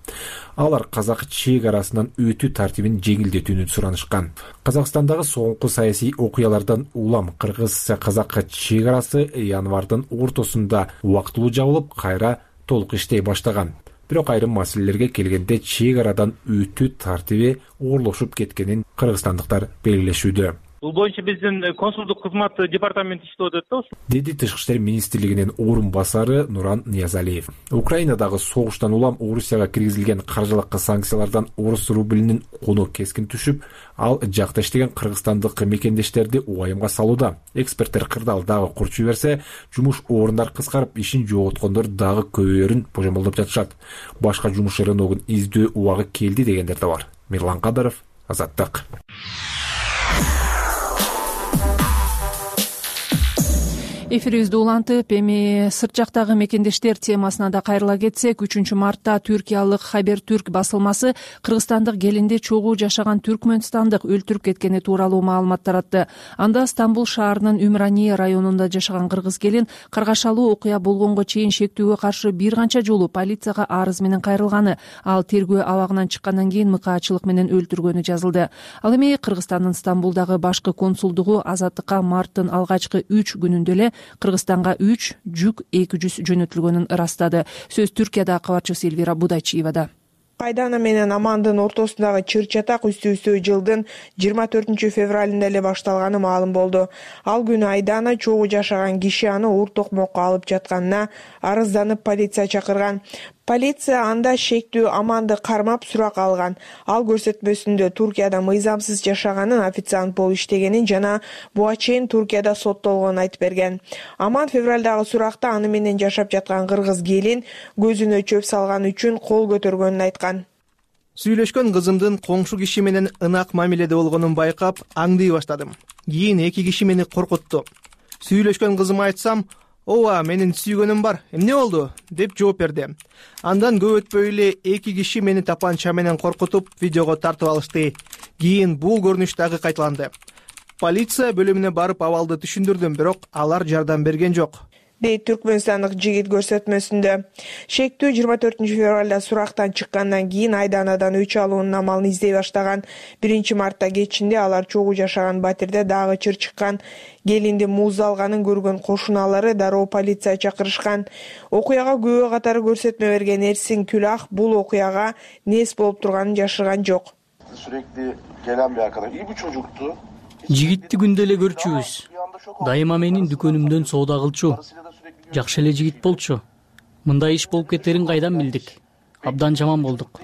Алар казак чек арасынан өтүү тартибин жеңилдетүүнү суранышкан. Казакстандагы соңку саясий окуялардан улам кыргыз-казак чек арасы январдын ортосунда убактылуу жабылып, кайра толук иштей баштаган. Бирок айрым маселелерге келгенде чек арадан өтүү тартиби оорлошуп кеткенин кыргызстандыктар белгилешүүдө. Бул боюнча биздин консулдук кызмат департаменти иштеп атат да, деди Тышкы иштер министрлигинин орун басары Нуран Ниязалиев. Украинадагы согуштан улам Орусияга киргизилген каржылык санкциялардан орус рублинин куну кескин түшүп, ал жакта иштеген кыргызстандык мекендештерди убайымга салууда. Эксперттер кырдаал дагы курчуй берсе, жумуш орундар кыскарып, ишин жоготкондор дагы көбөйөрүн божомолдоп жатышат. Башка жумуш рыногун издөө убагы келди дегендер да бар. Мирлан Кадыров, Азаттык. Эфирибизди улантып, эми сырт жактагы мекендештер темасына да кайрыла кетсек, үчүнчү мартта түркиялык Хабертүрк басылмасы Кыргызстандык Келинде чогуу жашаган түркмөнстандык өлтүрүп кеткени тууралуу маалымат таратты. Анда Стамбул шаарынын Умрания районунда жашаган кыргыз келин каргашалуу окуя болгонго чейин шектүүгө каршы бир канча жолу полицияга арыз менен кайрылганы, ал тергөө абагынан чыккандан кийин мыкаачылык менен өлтүргөнү жазылды. Ал эми Кыргызстандын Стамбулдагы башкы консулдугу Азаттыкка марттын алгачкы үч күнүндө эле Кыргызстанга үч жүк эки жүз жөнөтүлгөнүн ырастады. Сөз Түркияда кабарчысы Элвира Будайчиевада. Кайдана менен Амандын ортосундагы чыр-чатак үстү-үстү жылдын жыйырма төртүнчү февралында эле башталганы маалым болду. Ал күнү Айдана чогуу жашаган киши аны уур токмокко алып жатканына арызданып полиция чакырган. Полиция анда шектүү Аманды кармап сурак алган. Ал көрсөтмөсүндө Туркияда мыйзамсыз жашаганын, официант болуп иштегенин жана буга чейин Туркияда соттолгонун айтып берген. Аман февралдагы суракта аны менен жашап жаткан кыргыз келин көзүнө чөп салган үчүн кол көтөргөнүн айткан. Сүйлөшкөн кызымдын коңшу киши менен ынак мамиледе болгонун байкап, аңдый баштадым. Кийин эки киши мени коркутту. Сүйлөшкөн кызыма айтсам, «Ооба, менин сүйгөнүм бар. Эмне болду?» деп жооп берди. Андан көп өтпөй эле эки киши мени тапанча менен коркутуп, видеого тартып алышты. Кийин бул көрүнүш дагы кайталанды. Полиция бөлүмүнө барып абалды түшүндүрдүм, бирок алар жардам берген жок, дейт түркмөнстандык жигит көрсөтмөсүндө. Шектүү жыйырма төртүнчү февралда сурактан чыккандан кийин Айданадан өч алуунун амалын издей баштаган. биринчи мартта кечинде алар чогуу жашаган батирде дагы чыр чыккан. Келинди муз алганын көргөн кошуналары дароо полиция чакырышкан. Окуяга күбө катары көрсөтмө берген Эрсин Күлах бул окуяга нес болуп турганын жашырган жок. Жигитти күндө эле көрчүбүз. Дайыма менин дүкөнүмдөн соода кылчу. Жакшы эле жигит болчу. Мындай иш болуп кетерин кайдан билдик? Абдан жаман болдук.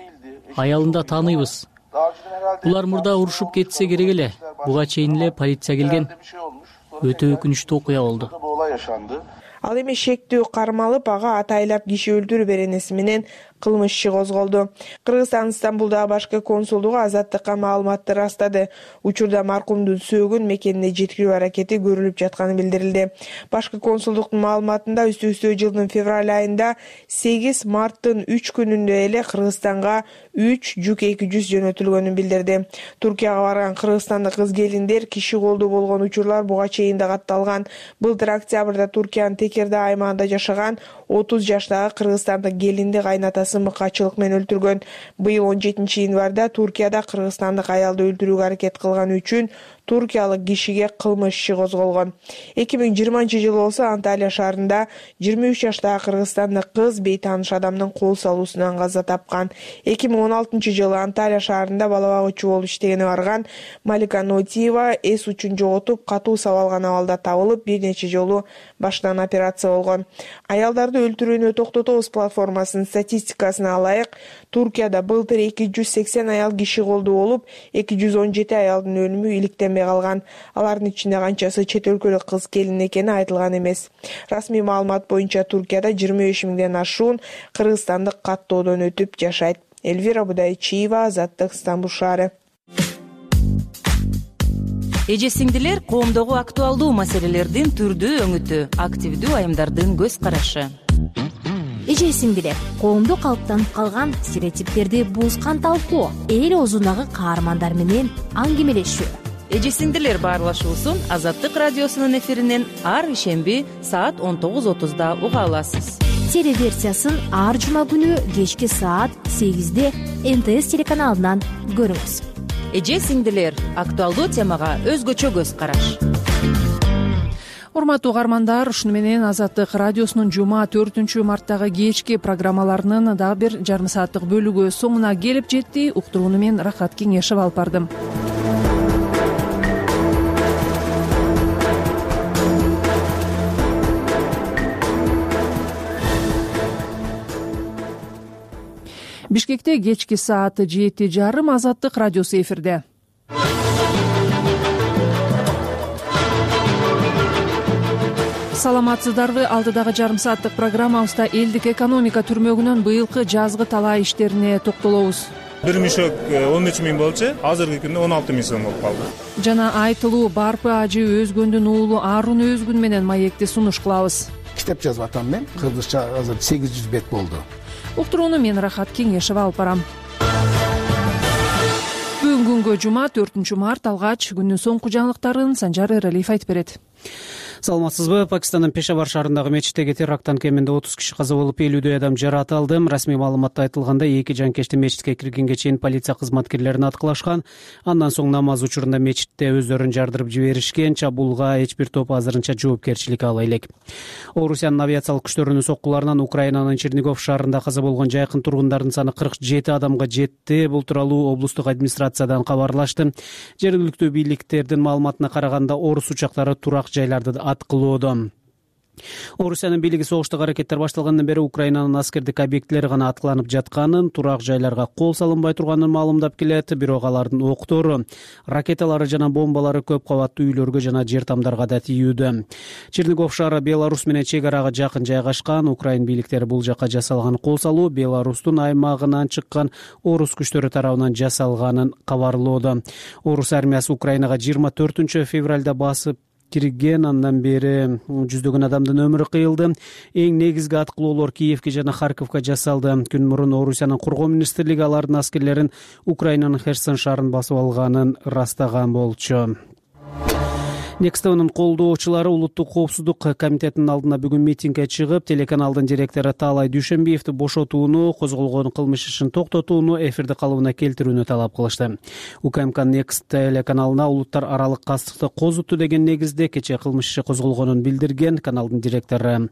Аялын да тааныйбыз. Булар мурда урушуп кетсе керек эле. Буга чейин эле полиция келген. Өтө өкүнүчтүү окуя болду. Ал эми шектүү кармалып, ага атайлап киши өлтүрүү беренеси менен кылмыш иши козголду. Кыргызстандын Стамбулдагы башкы консулдугу Азаттыкка маалыматты ырастады. Учурда маркумдун сөөгүн мекенине жеткирүү аракети көрүлүп жатканы билдирилди. Башкы консулдуктун маалыматында үстү-үстү жылдын февраль айында сегиз марттын үч күнүндө эле Кыргызстанга үч жүк эки жүз жөнөтүлгөнүн билдирди. Туркияга барган кыргызстандык кыз келиндер киши колдуу болгон учурлар буга чейин да катталган. Былтыр октябрда Туркиянын Текирда аймагында жашаган отуз жаштагы кыргызстандык келинди кайнатасы мыкаачылык менен өлтүргөн. Быйыл он жетинчи январда Туркияда кыргызстандык аялды өлтүрүүгө аракет кылганы үчүн туркиялык кишиге кылмыш иши козголгон. эки миң жыйырманчы жылы болсо Анталия шаарында жыйырма үч жаштагы кыргызстандык кыз бейтааныш адамдын кол салуусунан каза тапкан. эки миң он алтынчы жылы Анталия шаарында бала багуучу болуп иштегени барган Малика Нотиева эс учун жоготуп, катуу сабалган абалда табылып, бир нече жолу баштан операция болгон. Аялдарды өлтүрүүнү токтотобуз платформасынын статистикасына алайык, Туркияда былтыр эки жүз сексен аял киши колдуу болуп, эки жүз он жети аялдын өлүмү иликтенбей калган. Алардын ичинде канчасы чет өлкөлүк кыз келин экени айтылган эмес. Расмий маалымат боюнча Туркияда жыйырма беш миңден ашуун кыргызстандык каттоодон өтүп жашайт. Элвира Будайчиева, Азаттык, Стамбул шаары. Эже сиңдилер, коомдогу актуалдуу маселелердин түрдүү өңүтү, активдүү айымдардын көз карашы. эже сиңдилер, коомдо калыптанып калган стереотиптерди бузган талкуу, эл оозундагы каармандар менен аңгемелешүү. Эже сиңдилер баарлашуусун Азаттык радиосунун эфиринен ар ишемби саат он тогуз отузда уга аласыз. Телеверсиясын ар жума күнү кечки саат сегизде эн тэ эс телеканалынан көрүңүз. Эже сиңдилер актуалдуу темага өзгөчө көз караш. Урматтуу угармандар, ушуну менен Азаттык радиосунун жума төртүнчү марттагы кечки программаларынын дагы бир жарым сааттык бөлүгү соңуна келип жетти. Уктурууну мен Рахат Кеңешев алып бардым. Бишкекте кечки саат жети жарым Азаттык радиосу эфирде. Саламатсыздарбы? Алдыдагы жарым сааттык программабызда элдик экономика түрмөгүнөн быйылкы жазгы талаа иштерине токтолобуз. Бир мешок он үч миң болчу, азыркы күндө он алты миң сом болуп калды. Жана айтылуу Барпы ажы Өзгөндүн уулу Аарун Өзгүн менен маекти сунуш кылабыз. Китеп жазып атам мен. Кыргызча азыр сегиз жүз бет болду. Уктурууну мен Рахат Кеңешев алып барам. Бүгүнкү күнгө жума төртүнчү март алгач күндүн соңку жаңылыктарын Санжар Эралиев айтып берет. Саламатсызбы? Пакистандын Пешавар шаарындагы мечиттеги теракттан кеминде отуз киши каза болуп, элүүдөй адам жаратылды. Расмий маалыматта айтылгандай, эки жанкечти мечитке киргенге чейин полиция кызматкерлерин аткылашкан. Андан соң намаз учурунда мечитте өздөрүн жардырып жиберишкен. Чабуулга эч бир топ азырынча жоопкерчилик ала элек. Орусиянын авиациялык күчтөрүнүн соккуларынан Украинанын Чернигов шаарында каза болгон жайкын тургундардын саны кырк жети адамга жетти. Бул тууралуу облустук администрациядан кабарлашты. Жергиликтүү бийликтердин маалыматына караганда, орус учактары турак жайларды аткылоодо. Орусиянын бийлиги согуштук аракеттер башталгандан бери Украинанын аскердик объектилери гана аткыланып жатканын, турак жайларга кол салынбай турганын маалымдап келет. Бирок алардын октору, ракеталары жана бомбалары көп кабаттуу үйлөргө жана жер тамдарга да тийүүдө. Чернигов шаары Беларусь менен чек арага жакын жайгашкан. Украин бийликтери бул жака жасалган кол салуу Беларустун аймагынан чыккан орус күчтөрү тарабынан жасалганын кабарлоодо. Орус армиясы Украинага жыйырма төртүнчү февралда басып кирген. Андан бери жүздөгөн адамдын өмүрү кыйылды. Эң негизги аткылоолор Киевке жана Харьковко жасалды. Күн мурун Орусиянын кургоо министрлиги алардын аскерлерин Украинанын Херсон шаарын басып алганын ырастаган болчу. Некстовнун колдоочулары Улуттук коопсуздук комитетинин алдына бүгүн митингге чыгып, телеканалдын директору Таалай Дүйшөнбиевди бошотууну, козголгон кылмыш ишин токтотууну, эфирди калыбына келтирүүнү талап кылышты. УКМК Некст телеканалына улуттар аралык кастыкты козутту деген негизде кечээ кылмыш иши козголгонун билдирген. Каналдын директору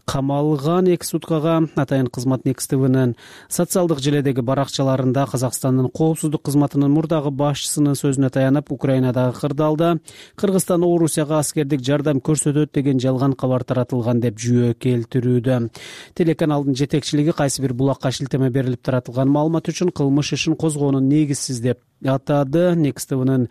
камалган. Эки суткага атайын кызмат Некст ТВнын социалдык желедеги баракчаларында Казакстандын коопсуздук кызматынын мурдагы башчысынын сөзүнө таянып, Украинадагы кырдаалда Кыргызстан Орусияга аскердик жардам көрсөтөт деген жалган кабар таратылган деп жүйө келтирүүдө. Телеканалдын жетекчилиги кайсы бир булакка шилтеме берилип таратылган маалымат үчүн кылмыш ишин козгоонун негизсиз деп атады. Некст ТВнын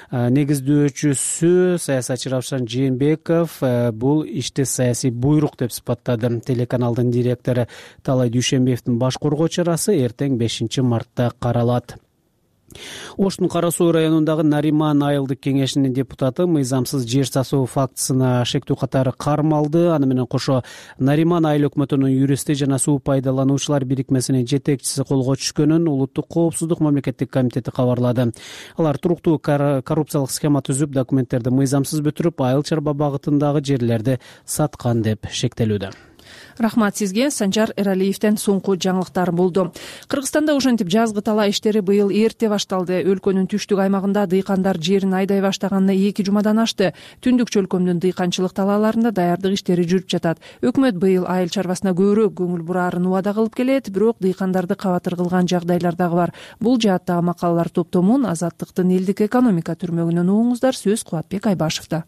негиздөөчүсү саясатчы Равшан Жээнбеков бул ишти саясий буйрук деп сыпаттады. Телеканалдын директору Таалай Дүйшөнбиевдин баш коргоо чарасы эртең бешинчи мартта каралат. Оштун Кара Суу районундагы Нариман айылдык кеңешинин депутаты мыйзамсыз жер сасуу фактысына шектүү катары кармалды. Аны менен кошо Нариман айыл өкмөтүнүн юристи жана суу пайдалануучулар бирикмесинин жетекчиси колго түшкөнүн Улуттук коопсуздук мамлекеттик комитети кабарлады. Алар туруктуу коррупциялык схема түзүп, документтерди мыйзамсыз бүтүрүп, айыл чарба багытындагы жерлерди саткан деп шектелүүдө. Рахмат сизге. Санжар Эралиевден соңку жаңылыктар болду. Кыргызстанда ошентип жазгы талаа иштери быйыл эрте башталды. Өлкөнүн түштүк аймагында дыйкандар жерин айдай баштаганына эки жумадан ашты. Түндүк чөлкөмдүн дыйканчылык талааларында даярдык иштери жүрүп жатат. Өкмөт быйыл айыл чарбасына көбүрөөк көңүл бураарын убада кылып келет, бирок дыйкандарды кабатыр кылган жагдайлар дагы бар. Бул жааттагы макалалар топтомун Азаттыктын элдик экономика түрмөгүнөн угуңуздар. Сөз Кубатбек Айбашевда.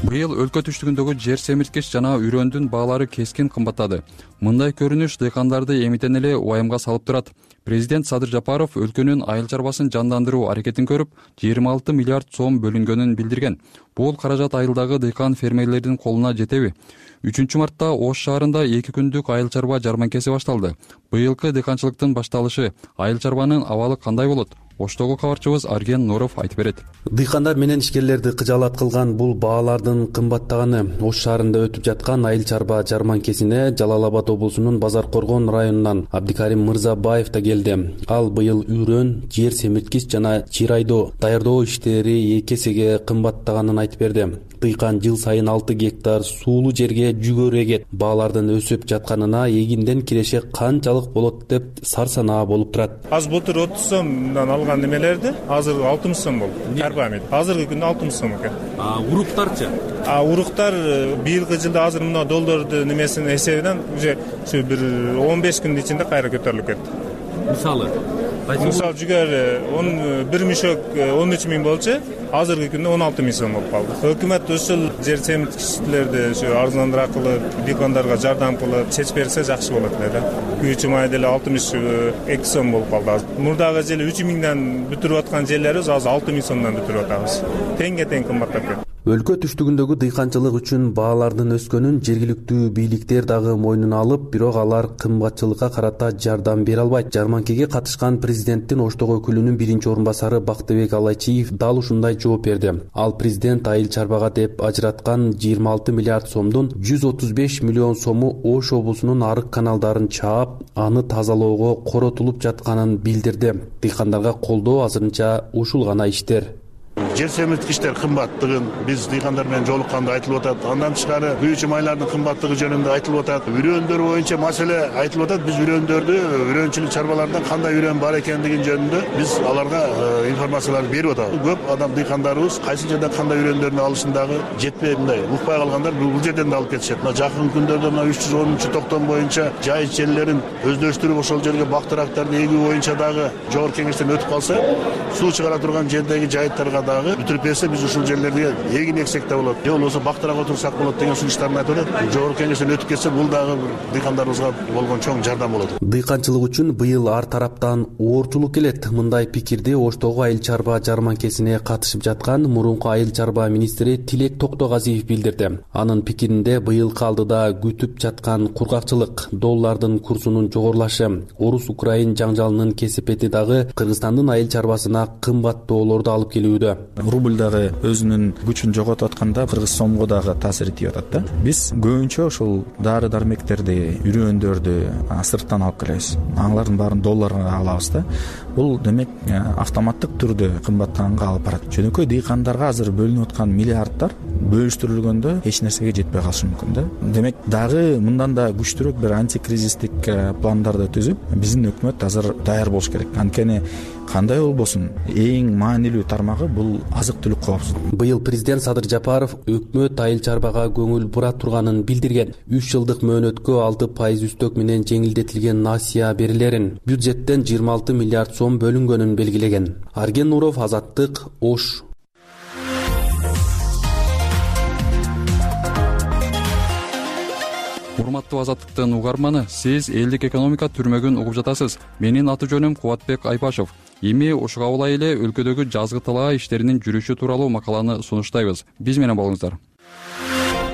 Быйыл өлкө түштүгүндөгү жер семирткич жана үрөндүн баалары кескин кымбаттады. Мындай көрүнүш дыйкандарды эмитен эле уайымга салып турат. Президент Садыр Жапаров өлкөнүн айыл чарбасын жандандыруу аракетин көрүп, жыйырма алты миллиард сом бөлүнгөнүн билдирген. Бул каражат айылдагы дыйкан фермерлердин колуна жетеби? үчүнчү мартта Ош шаарында эки күндүк айыл чарба жарманкеси башталды. Быйылкы дыйканчылыктын башталышы, айыл чарбанын абалы кандай болот? Оштогу кабарчыбыз Арген Нуров айтып берет. Дыйкандар менен ишкерлерди кыжаалат кылган бул баалардын кымбаттаганы Ош шаарында өтүп жаткан айыл чарба жарманкесине Жалал Абад облусунун Базар Коргон районунан Абдикарим Мырзабаев да келди. Ал быйыл үрөн, жер семирткич жана чирайдоо даярдоо иштери эки эсеге кымбаттаганын айтып берди. Дыйкан жыл сайын алты гектар суулуу жерге жүгөрү эгет. Баалардын өсүп жатканына эгинден киреше канчалык болот деп сарсанаа болуп турат. Аз былтыр отуз сомдон алган немелерди азыр алтымыш сом болду. Карбамид азыркы күндө алтымыш сом экен. А уруктарчы? А уруктар быйылкы жылда азыр мына доллардын немесинин эсебинен уже ушу бир он беш күндүн ичинде кайра көтөрүлүп кетти. Мисалы Мисалы жүгөр он бир мешок он үч миң болчу, азыркы күндө он алты миң сом болуп калды. Өкмөт ушул жер семирткичтерди ушу арзандыраак кылып, дыйкандарга жардам кылып чечип берсе жакшы болот эле да. Күйүүчү май деле алтымыш эки сом болуп калды. Мурдагы жылы үч миңден бүтүрүп аткан жерлерибиз азыр алты миң сомдон бүтүрүп атабыз. Теңге тең кымбаттап кетти. Өлкө түштүгүндөгү дыйканчылык үчүн баалардын өскөнүн жергиликтүү бийликтер дагы мойнуна алып, бирок алар кымбатчылыкка карата жардам бере албайт. Жарманкеге катышкан президенттин Оштогу өкүлүнүн биринчи орун басары Бактыбек Алайчиев дал ушундай жооп берди. Ал президент айыл чарбага деп ажыраткан жыйырма алты миллиард сомдун жүз отуз беш миллион сому Ош облусунун арык каналдарын чаап, аны тазалоого коротулуп жатканын билдирди. Дыйкандарга колдоо азырынча ушул гана иштер. Жер семирткичтер кымбаттыгын биз дыйкандар менен жолукканда айтылып атат. Андан тышкары күйүүчү майлардын кымбаттыгы жөнүндө айтылып атат. Үрөндөр боюнча маселе айтылып атат. Биз үрөндөрдү, үрөнчүлүк чарбаларында кандай үрөн бар экендигин жөнүндө биз аларга информацияларды берип атабыз. Көп адам дыйкандарыбыз кайсы жерден кандай үрөндөрдү алышын дагы жетпей мындай укпай калгандар бул жерден да алып кетишет. Мына жакын күндөрдө мына үч жүз онунчу токтом боюнча жайыт жерлерин өздөштүрүп ошол жерге бактырактарды эгүү боюнча дагы жогорку кеңештен өтүп калса, суу чыгара турган жердеги жайыттарга дагы бүтүрүп берсе биз ушул жерлерге эгин эксек да болот. Же болбосо бактырак отурсак болот деген сунуштарын айтып атат. Жогорку кеңештен өтүп кетсе бул дагы дыйкандарыбызга болгон чоң жардам болот. Дыйканчылык үчүн быйыл ар тараптан оорчулук келет. Мындай пикирди Оштогу айыл чарба жарманкесине катышып жаткан мурунку айыл чарба министри Тилек Токтогазиев билдирди. Анын пикиринде быйылкы алдыда күтүп жаткан кургакчылык, доллардын курсунун жогорулашы, Орус-Украин жаңжалынын кесепети дагы Кыргызстандын айыл чарбасына кымбаттоолорду алып келүүдө. Рубль дагы өзүнүн күчүн жоготуп атканда кыргыз сомго дагы таасир этип атат да. Биз көбүнчө ушул дары дармектерди, үрөндөрдү сырттан алып келебиз. Алардын баарын долларга алабыз да. Бул демек автоматтык түрдө кымбаттаганга алып барат. Жөнөкөй дыйкандарга азыр бөлүнүп аткан миллиарддар бөлүштүрүлгөндө эч нерсеге жетпей калышы мүмкүн да. Демек дагы мындан да күчтүүрөөк бир антикризистик пландарды түзүп, биздин өкмөт азыр даяр болуш керек. Анткени кандай болбосун эң маанилүү тармагы бул азык-түлүк коопсуздугу. Быйыл президент Садыр Жапаров өкмөт айыл чарбага көңүл бура турганын билдирген. үч жылдык мөөнөткө алты пайыз үстөк менен жеңилдетилген насыя берилерин, бюджеттен жыйырма алты миллиард сом бөлүнгөнүн белгилеген. Арген Нуров, Азаттык, Ош. Урматтуу Азаттыктын угарманы, сиз элдик экономика түрмөгүн угуп жатасыз. Менин аты жөнүм Кубатбек Айпашев. Эми ушуга улай эле өлкөдөгү жазгы талаа иштеринин жүрүшү тууралуу макаланы сунуштайбыз. Биз менен болуңуздар.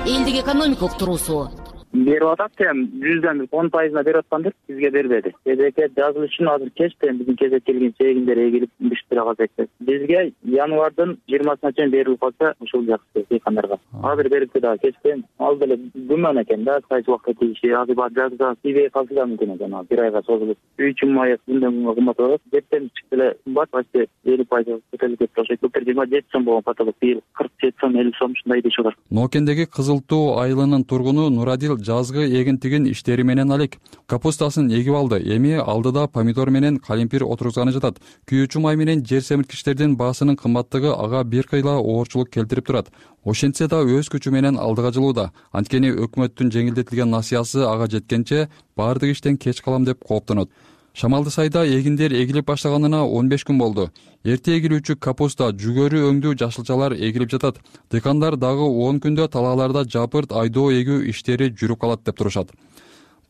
Элдик экономика уктуруусу берип атат эми жүздөн он пайызына берип аткандыр, бизге бербеди. Эдеке жазылыш үчүн азыр кеч эми биздин кезектелген чегиндер эгилип бишип калса экен. Бизге январдын жыйырмасына чейин берилип калса ушул жакшы дыйкандарга. Азыр берипти дагы кечкен. Ал деле күмөн экен да, кайсы убакта тийиши, азыр бар жазда тийбей калса да мүмкүн экен, бир айга созулуп. Үй үчүн май күндөн күнгө кымбат болот. Жептен чыкты эле кымбат, почти элүү пайыз көтөрүлүп кетти. Ошо былтыр жыйырма жети сом болгон потолок, быйыл кырк жети сом, элүү сом ушундай деши бар. Нокендеги Кызыл Тоо айылынын тургуну Нурадил жазгы эгинтигин иштери менен алек. Капустасын эгип алды. Эми алдыда помидор менен калимпир отургузганы жатат. Күйүүчү май менен жер семирткичтердин баасынын кымбаттыгы ага бир кыйла оорчулук келтирип турат. Ошентсе да өз күчү менен алдыга жылууда. Анткени өкмөттүн жеңилдетилген насыясы ага жеткенче баардык иштен кеч калам деп кооптонот. Шамалды сайда эгиндер эгилип баштаганына он беш күн болду. Эрте эгилүүчү капуста, жүгөрү өңдүү жашылчалар эгилип жатат. Дыйкандар дагы он күндө талааларда жапырт айдоо эгүү иштери жүрүп калат деп турушат.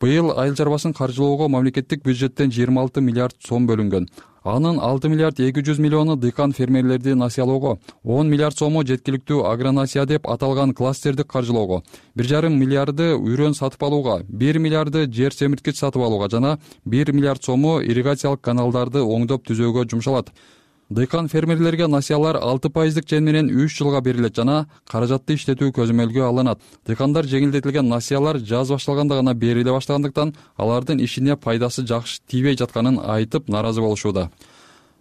Быйыл айыл чарбасын каржылоого мамлекеттик бюджеттен жыйырма алты миллиард сом бөлүнгөн. Анын алты миллиард эки жүз миллиону дыйкан фермерлерди насыялоого, он миллиард сому жеткиликтүү агронасыя деп аталган кластерди каржылоого, бир жарым миллиарды үрөн сатып алууга, бир миллиарды жер семирткич сатып алууга жана бир миллиард сому ирригациялык каналдарды оңдоп түзөөгө жумшалат. Дыйкан фермерлерге насыялар алты пайыздык чен менен үч жылга берилет жана каражатты иштетүү көзөмөлгө алынат. Дыйкандар жеңилдетилген насыялар жаз башталганда гана бериле баштагандыктан алардын ишине пайдасы жакшы тийбей жатканын айтып наразы болушууда.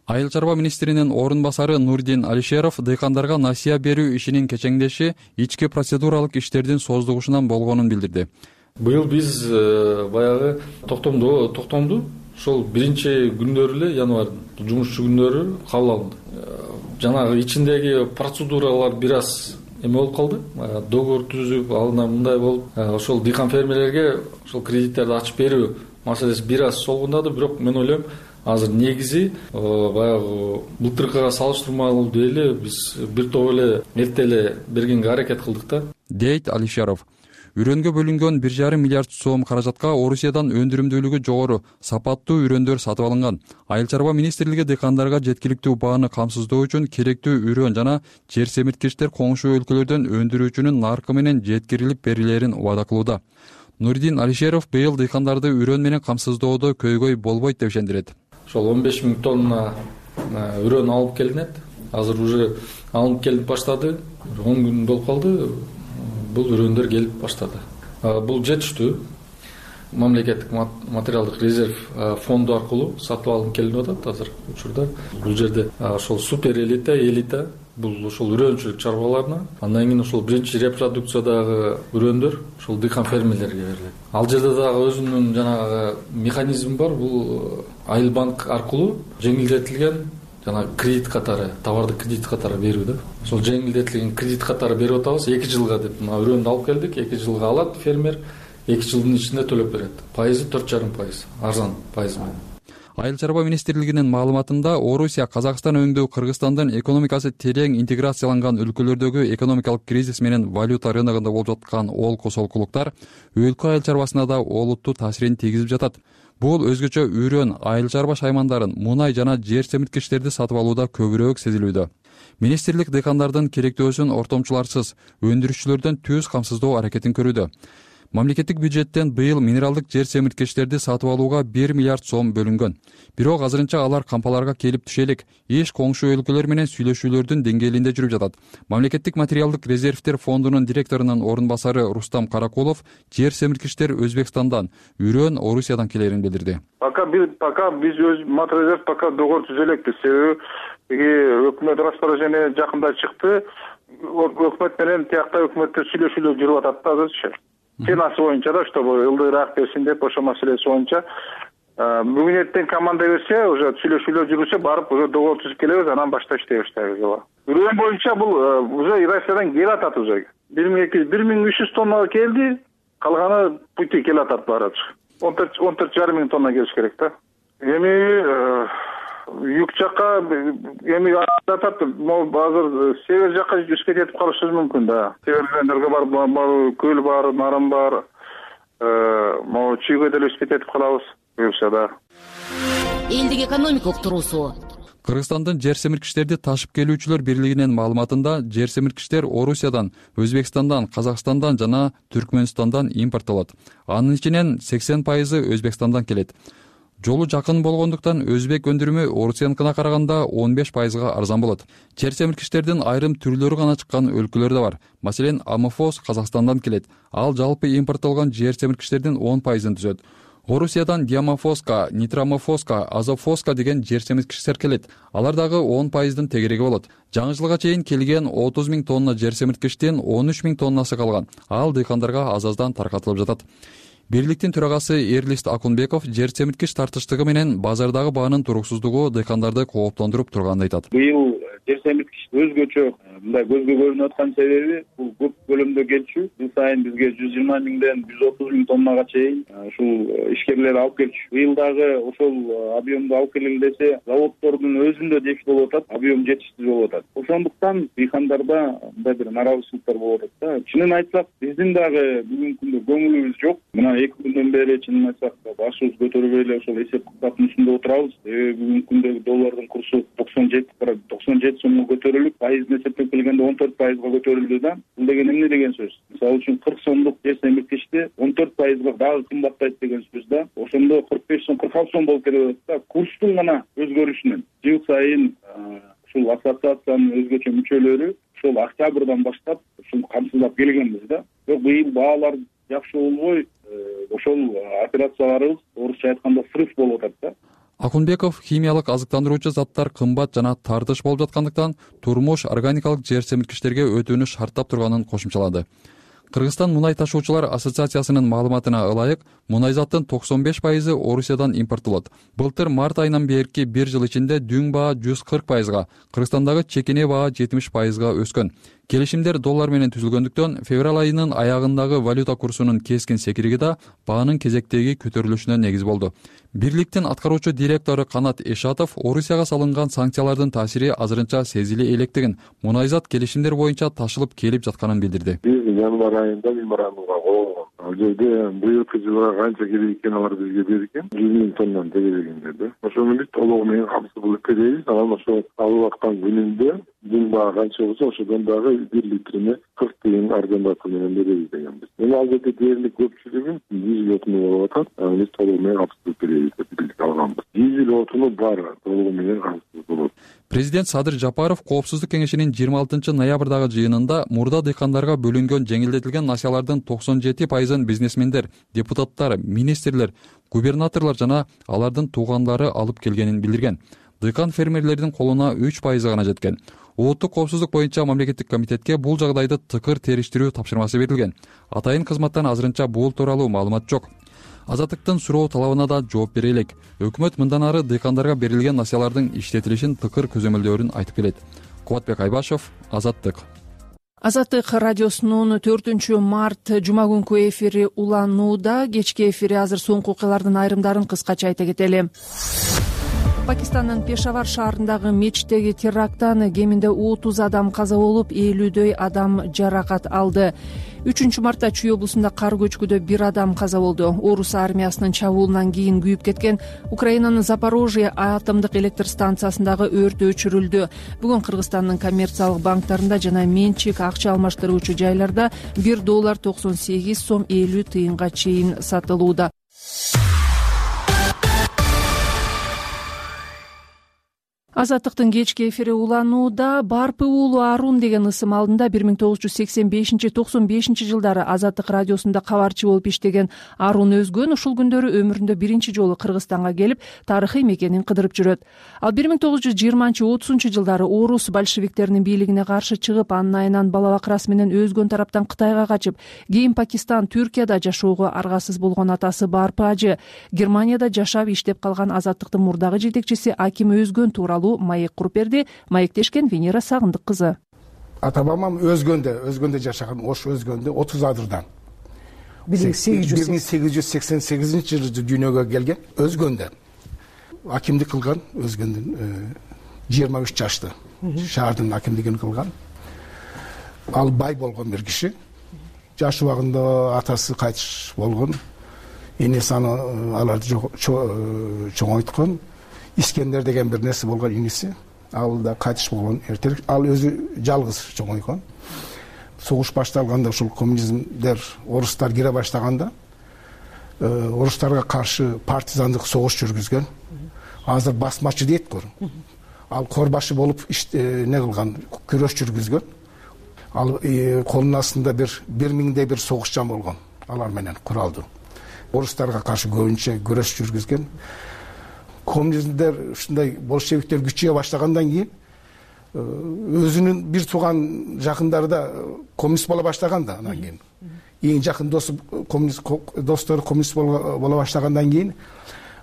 Айыл чарба министринин орун басары Нурдин Алишеров дыйкандарга насыя берүү ишинин кечеңдеши ички процедуралык иштердин создугушунан болгонун билдирди. Быйыл биз баягы токтомду токтомду ошол биринчи күндөрү эле январдын жумушчу күндөрү кабыл алынды. Жанагы ичиндеги процедуралар бир аз эме болуп калды. Договор түзүп, алына мындай болуп, ошол дыйкан фермерлерге ошол кредиттерди ачып берүү маселеси бир аз солгундады, бирок мен ойлойм азыр негизи баягы былтыркыга салыштырмалуу эле биз бир топ эле эрте эле бергенге аракет кылдык да, дейт Алишеров. Үрөнгө бөлүнгөн бир жарым миллиард сом каражатка Орусиядан өндүрүмдүүлүгү жогору сапаттуу үрөндөр сатып алынган. Айыл чарба министрлиги дыйкандарга жеткиликтүү бааны камсыздоо үчүн керектүү үрөн жана жер семирткичтер коңшу өлкөлөрдөн өндүрүүчүнүн наркы менен жеткирилип берилерин убада кылууда. Нурдин Алишеров быйыл дыйкандарды үрөн менен камсыздоодо көйгөй болбойт деп ишендирет. Ошол он беш миң тонна үрөн алып келинет. Азыр уже алынып келип баштады. он күн болуп калды. Бул үрөндөр келип баштады. Бул жетиштүү. Мамлекеттик материалдык резерв фонду аркылуу сатып алынып келип атат азыр учурда. Бул жерде ошол супер элита, элита бул ошол үрөнчүлүк чарбаларына, андан кийин ошол биринчи репродукциядагы үрөндөр ошол дыйкан фермерлерге берилет. Ал жерде дагы өзүнүн жанагы механизми бар. Бул Айыл банк аркылуу жеңилдетилген жана кредит катары, товарды кредит катары берүү да. Ошол жеңилдетилген кредит катары берип атабыз эки жылга деп. Мына үрөндү алып келдик, эки жылга алат фермер, эки жылдын ичинде төлөп берет. Пайызы төрт жарым пайыз, арзан пайыз менен. Айыл чарба министрлигинин маалыматында Орусия, Казакстан өңдүү Кыргызстандын экономикасы терең интеграцияланган өлкөлөрдөгү экономикалык кризис менен валюта рыногунда болуп жаткан олку солкулуктар өлкө айыл чарбасына да олуттуу таасирин тийгизип жатат. Бул өзгөчө үрөн, айыл чарба шаймандарын, мунай жана жер семирткичтерди сатып алууда көбүрөөк сезилүүдө. Министрлик дыйкандардын керектөөсүн ортомчуларсыз, өндүрүшчүлөрдөн түз камсыздоо аракетин көрүүдө. Мамлекеттик бюджеттен быйыл минералдык жер семирткичтерди сатып алууга бир миллиард сом бөлүнгөн. Бирок азырынча алар кампаларга келип түшө элек. Иш коңшу өлкөлөр менен сүйлөшүүлөрдүн деңгээлинде жүрүп жатат. Мамлекеттик материалдык резервтер фондунун директорунун орун басары Рустам Каракулов жер семирткичтер Өзбекстандан, үрөн Орусиядан келерин билдирди. Пока биз пока биз өз материалдер пока договор түзө элекпиз. Себеби өкмөт распоряжение жакында чыкты. Өкмөт менен тиякта өкмөттөр сүйлөшүүлөр жүрүп атат да азырчы. Ценасы боюнча да, чтобы ылдыраак берсин деп ошол маселеси боюнча бүгүн эртең команда берсе, уже сүйлөшүүлөр жүрүшө барып уже договор түзүп келебиз, анан башта иштей баштайбыз. Үрөн боюнча бул уже Россиядан келип атат уже. бир миң үч жүз тоннага келди, калганы пути келип атат баары. он төрт жарым миң тонна келиш керек да. Эми юг жакка эми атат, азыр север жакка жүзүп кетип калышыбыз мүмкүн да. Север райондорго бар, көл бар, нарым бар, могу чүйгө деле өсүп кетип калабыз буюрса да. Элдик экономикалык туруусу. Кыргызстандын жер семирткичтерди ташып келүүчүлөр бирлигинин маалыматында жер семирткичтер Орусиядан, Өзбекстандан, Казакстандан жана Түркмөнстандан импорттолот. Анын ичинен сексен пайызы Өзбекстандан келет. Жолу жакын болгондуктан өзбек өндүрүмү Орусияныкына караганда он беш пайызга арзан болот. Жер семирткичтердин айрым түрлөрү гана чыккан өлкөлөр да бар. Маселен, Амофос Казакстандан келет. Ал жалпы импорттолгон жер семирткичтердин он пайызын түзөт. Орусиядан Диамофоска, Нитрамофоска, Азофоска деген жер семирткичтер келет. Алар дагы он пайыздын тегереги болот. Жаңы жылга чейин келген отуз миң тонна жер семирткичтин он үч миң тоннасы калган. Ал дыйкандарга аз-аздан таркатылып жатат. Бирликтин төрагасы Эрлист Акунбеков жер семирткич тартыштыгы менен базардагы баанын туруксуздугу дыйкандарды кооптондуруп турганын айтат. Быйыл жер семирткич өзгөчө мындай көзгө көрүнүп аткан себеби бул көп көлөмдө келчү. Жыл сайын бизге жүз жыйырма миңден жүз отуз миң тоннага чейин ушул ишкерлер алып келчү. Быйыл дагы ошол объемду алып келели десе, заводдордун өзүндө дефицит болуп атат, объем жетишсиз болуп атат. Ошондуктан дыйкандарда мындай бир наразычылыктар болуп атат да. Чынын айтсак, биздин дагы бүгүнкү күндө көңүлүбүз жок. Мына эки күндөн бери чынын айтсак, башыбыз көтөрбөй эле ошол эсеп кытаптын үстүндө отурабыз. Бүгүнкү күндөгү доллардын курсу токсон жети сомго көтөрүлүп, пайызын эсептеп келгенде он төрт пайызга көтөрүлдү да. Бул деген эмне деген сөз? Мисалы үчүн кырк сомдук жер семирткичти он төрт пайызга дагы кымбаттайт деген сөз да. Ошондо кырк беш сом, кырк алты сом болуп кетип атат да. Курстун гана өзгөрүшүнөн жыл сайын ушул ассоциациянын өзгөчө мүчөлөрү ошол октябрдан баштап ушуну камсыздап келгенбиз да. Бирок быйыл баалар жакшы болбой, ошол операцияларыбыз орусча айтканда срыв болуп атат да. Акунбеков химиялык азыктандыруучу заттар кымбат жана тартыш болуп жаткандыктан турмуш органикалык жер семирткичтерге өтүүнү шарттап турганын кошумчалады. Кыргызстан мунай ташуучулар ассоциациясынын маалыматына ылайык, мунайзаттын токсон беш пайызы Орусиядан импорттолот. Былтыр март айынан берки бир жыл ичинде дүң баа жүз кырк пайызга, Кыргызстандагы чекене баа жетимиш пайызга өскөн. Келишимдер доллар менен түзүлгөндүктөн февраль айынын аягындагы валюта курсунун кескин секириги да баанын кезектеги көтөрүлүшүнө негиз болду. Бирликтин аткаруучу директору Канат Эшатов Орусияга салынган санкциялардын таасири азырынча сезиле электигин, мунайзат келишимдер боюнча ташылып келип жатканын билдирди. Биз январь айында меморандумга кол койгон. Ал жерде быйылкы жылга канча керек экен алар бизге берген, жүз миң тоннаны дегендер да. Ошону биз толугу менен камсыз кылып беребиз. Анан ошо алып аткан күнүндө дүң баа канча болсо ошодон дагы бир литрине кырк тыйын арзандатуу менен беребиз дегенбиз. Эми ал жерде дээрлик көпчүлүгүн дизель отуну болуп атат. Биз толугу менен камсыз беребиз деп билдик алганбыз. Дизель отуну бар, толугу менен камсыз болот. Президент Садыр Жапаров Коопсуздук кеңешинин жыйырма алтынчы ноябрдагы жыйынында мурда дыйкандарга бөлүнгөн жеңилдетилген насыялардын токсон жети пайызын бизнесмендер, депутаттар, министрлер, губернаторлор жана алардын туугандары алып келгенин билдирген. Дыйкан фермерлердин колуна үч пайызы гана жеткен. Улуттук коопсуздук боюнча мамлекеттик комитетке бул жагдайды тыкыр териштирүү тапшырмасы берилген. Атайын кызматтан азырынча бул тууралуу маалымат жок. Азаттыктын суроо талабына да жооп бере элек. Өкмөт мындан ары дыйкандарга берилген насыялардын иштетилишин тыкыр көзөмөлдөөрүн айтып келет. Кубатбек Айбашев, Азаттык. Азаттык радиосунун төртүнчү март жума күнкү эфири уланууда. Кечки эфири азыр соңку окуялардын айрымдарын кыскача айта кетели. Пакистандын Пешавар шаарындагы мечиттеги теракттан кеминде отуз адам каза болуп, элүүдөй адам жаракат алды. үчүнчү мартта Чүй облусунда кар көчкүдө бир адам каза болду. Орус армиясынын чабуулунан кийин күйүп кеткен Украинанын Запорожье атомдук электр станциясындагы өрт өчүрүлдү. Бүгүн Кыргызстандын коммерциялык банктарында жана менчик акча алмаштыруучу жайларда бир доллар токсон сегиз сом элүү тыйынга чейин сатылууда. Азаттыктын кечки эфири уланууда. Барпы уулу Арун деген ысым алдында бир миң тогуз жүз сексен бешинчи токсон бешинчи жылдары Азаттык радиосунда кабарчы болуп иштеген Арун Өзгөн ушул күндөрү өмүрүндө биринчи жолу Кыргызстанга келип, тарыхый мекенин кыдырып жүрөт. Ал бир миң тогуз жүз жыйырманчы отузунчу жылдары орус большевиктеринин бийлигине каршы чыгып, анын айынан бала бакырасы менен Өзгөн тараптан Кытайга качып, кийин Пакистан, Түркияда жашоого аргасыз болгон атасы Барпы ажы, Германияда жашап иштеп калган Азаттыктын мурдагы жетекчиси Аким Өзгөн тууралуу маек куруп берди. Маектешкен Венера Сагындык кызы. Ата бабам Өзгөндө, Өзгөндө жашаган, Ош Өзгөндө отуз адырдан. бир миң сегиз жүз сексен сегизинчи жылы дүйнөгө келген Өзгөндө. Акимдик кылган Өзгөндүн жыйырма үч жашты. Шаардын акимдигин кылган. Ал бай болгон бир киши. Жаш убагында атасы кайтыш болгон. Энеси аны аларды чоңойткон. Искендер деген бир нерсе болгон иниси. Ал да кайтыш болгон эртерээк. Ал өзү жалгыз чоңойгон. Согуш башталганда ушул коммунизмдер, орустар кире баштаганда орустарга каршы партизандык согуш жүргүзгөн. Азыр басмачы дейт го. Ал корбашы болуп не кылган, күрөш жүргүзгөн. Ал колунун астында бир бир миңдей бир согушчан болгон. Алар менен куралдуу. Орустарга каршы көбүнчө күрөш жүргүзгөн. Коммунизмдер ушундай большевиктер күчөйө баштагандан кийин өзүнүн бир тууган жакындары да коммунист боло баштаган да. Анан кийин эң жакын досу коммунист достору коммунист боло баштагандан кийин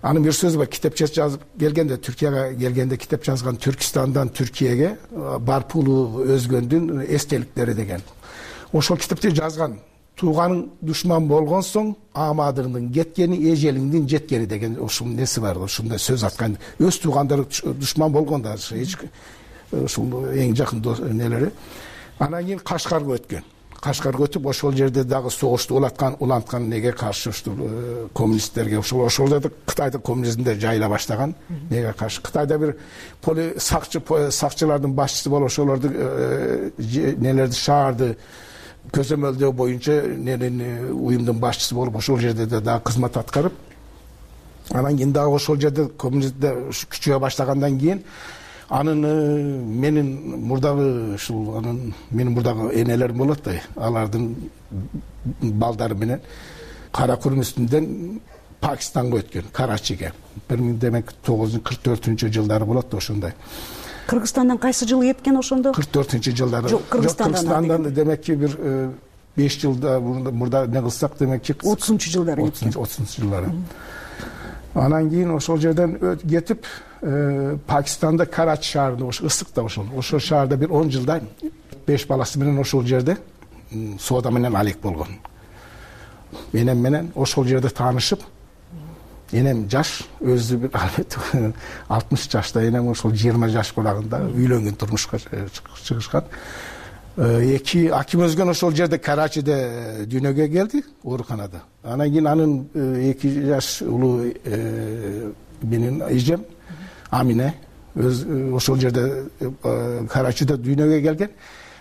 анын бир сөзү бар, китепче жазып келгенде, Түркияга келгенде китеп жазган, Түркистандан Түркияга Барпы уулу Өзгөндүн эстеликтери деген. Ошол китепти жазган. Тууганың душман болгон соң амадырдын кеткени, эжелиңдин жеткени деген ушул неси бар, ушундай сөз аткан. Өз туугандары душман болгондо эч ушул эң жакын нелери. Анан кийин Кашкарга өткөн. Кашкарга өтүп, ошол жерде дагы согушту улаткан, уланткан неге каршы ушул коммунисттерге, ошол ошол жерде Кытайда коммунизмдер жайыла баштаган. Неге каршы? Кытайда бир поли сакчы сакчылардын башчысы болуп, ошолорду нелерди шаарды көзөмөлдөө боюнча уюмдун башчысы болуп, ошол жерде дагы кызмат аткарып, анан кийин дагы ошол жерде коммунисттер күчөйө баштагандан кийин анын менин мурдагы ушул анын менин мурдагы энелерим болот да, алардын балдары менен кара курум үстүндөн Пакистанга өткөн, Карачиге. бир миң демек тогуз жүз кырк төртүнчү жылдары болот да ошондой. Кыргызстандан кайсы жылы кеткен ошондо? кырк төртүнчү жылдары. Жок, Кыргызстандан демекки бир беш жылда мурда не кылсак демекки отузунчу жылдары кеткен. отузунчу жылдары. Анан кийин ошол жерден кетип Пакистанда Карачи шаарында, ошо ысык да ошол. Ошол шаарда бир он жылда беш баласы менен ошол жерде соода менен алек болгон. Энем менен ошол жерде таанышып, энем жаш, өзү бир алтымыш жашта, энем ошол жыйырма жаш кулагында үйлөнгөн, турмушка чыгышкан. Эки аким өзгөн ошол жерде Карачиде дүйнөгө келди, ооруканада. Анан кийин анын эки жаш улуу менин эжем Амине өз ошол жерде Карачиде дүйнөгө келген.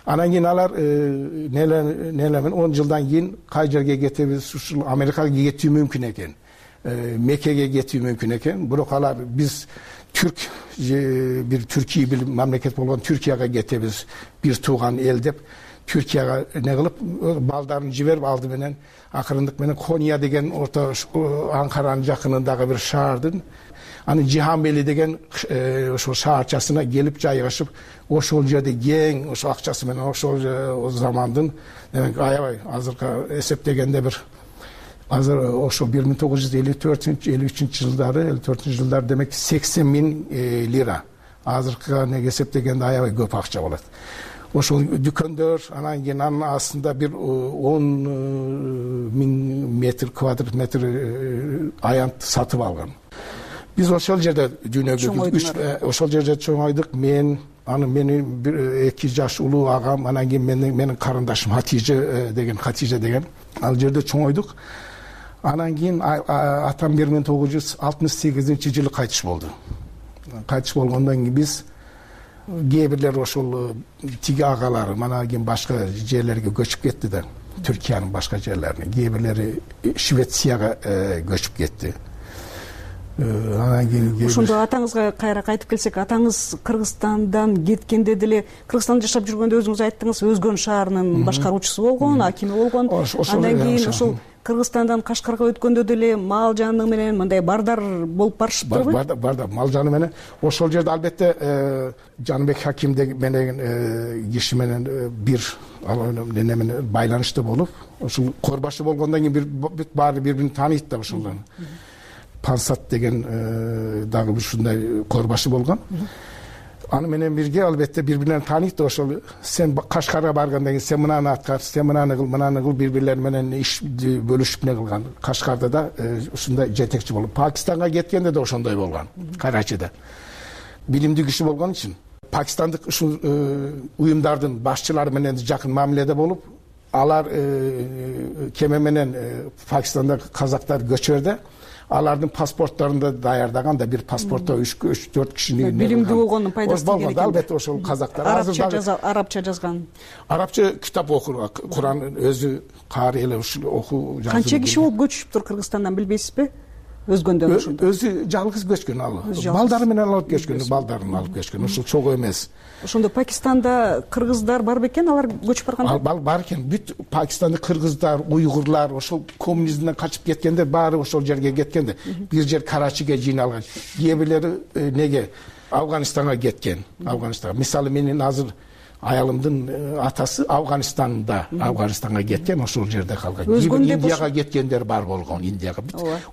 Анан кийин алар нелемен он жылдан кийин кай жерге кетебиз, ушул Америкага кетүү мүмкүн экен, Меккеге кетүү мүмкүн экен. Бирок алар биз түрк бир Түркия бир мамлекет болгон Түркияга кетебиз, бир тууган эл деп Түркияга не кылып балдарын жиберип алды менен акырындык менен Кония деген орто Анкаранын жакынындагы бир шаардын анын Жиханбели деген ошол шаарчасына келип жайгашып, ошол жерде кең ошол акчасы менен ошол замандын демек аябай азыркы эсептегенде бир азыр ошо бир миң тогуз жүз элүү төртүнчү элүү үчүнчү жылдары элүү төртүнчү жылдары демек сексен миң лира, азыркыга неге эсептегенде аябай көп акча болот. Ошол дүкөндөр, анан кийин анын астында бир он миң метр квадрат метр аянт сатып алган. Биз ошол жерде дүйнөгө ошол жерде чоңойдук. Мен, анын менин бир эки жаш улуу агам, анан кийин менин менин карындашым Хатиже деген Хатиже деген ал жерде чоңойдук. Анан кийин атам бир миң тогуз жүз алтымыш сегизинчи жылы кайтыш болду. Кайтыш болгондон кийин биз кээ бирлер ошол тиги агалары мана кийин башка жерлерге көчүп кетти да, Түркиянын башка жерлерине. Кээ бирлери Швецияга көчүп кетти. Анан кийин ошондо атаңызга кайра кайтып келсек, атаңыз Кыргызстандан кеткенде деле Кыргызстанда жашап жүргөндө өзүңүз айттыңыз, Өзгөн шаарынын башкаруучусу болгон, акими болгон. Андан кийин ошол Кыргызстандан Кашкарга өткөндө деле мал жаны менен мындай бардар болуп барышыптырбы? Бардар, бардар, мал жаны менен. Ошол жерде албетте Жаныбек Хаким деген киши менен бир неме менен байланышта болуп, ошол корбашы болгондон кийин бир баары бири-бирин тааныйт да ошолдон. Пансат деген дагы ушундай корбашы болгон. Аны менен бирге албетте бири-бирин тааныйт. Ошол сен Кашкарга баргандан кийин сен мынаны аткар, сен мынаны кыл, мынаны кыл, бири-бирлери менен иш бөлүшүп не кылган. Кашкарда да ушундай жетекчи болуп, Пакистанга кеткенде да ошондой болгон. Карачида билимдүү киши болгон үчүн пакистандык ушул уюмдардын башчылары менен жакын мамиледе болуп, алар кеме менен Пакистандагы казактар көчөрдө алардын паспорттарында даярдаган да бир паспортто үч төрт кишини билимдүү болгондун пайдасы болгон да, албетте ошол казактар арабча жазган. Арабча китап окур, Куран өзү каары эле ушул окуу жазуу. Канча киши болуп көчүптүр Кыргызстандан билбейсизби? Өзгөндөн ошондо. Өзү жалгыз көчкөн ал. Балдары менен алып көчкөн, балдарын алып көчкөн. Ушул чогуу эмес. Ошондо Пакистанда кыргыздар бар бекен, алар көчүп барганда? Ал бар экен. Бүт Пакистанда кыргыздар, уйгурлар, ошол коммунизмден качып кеткенде баары ошол жерге кеткенде, бир жер Карачиге жыйналган. Кээ бирлери неге Афганистанга кеткен. Афганистанга. Мисалы менин азыр аялымдын атасы Афганистанда, Афганистанга кеткен, ошол жерде калган. Индияга кеткендер бар болгон, Индияга.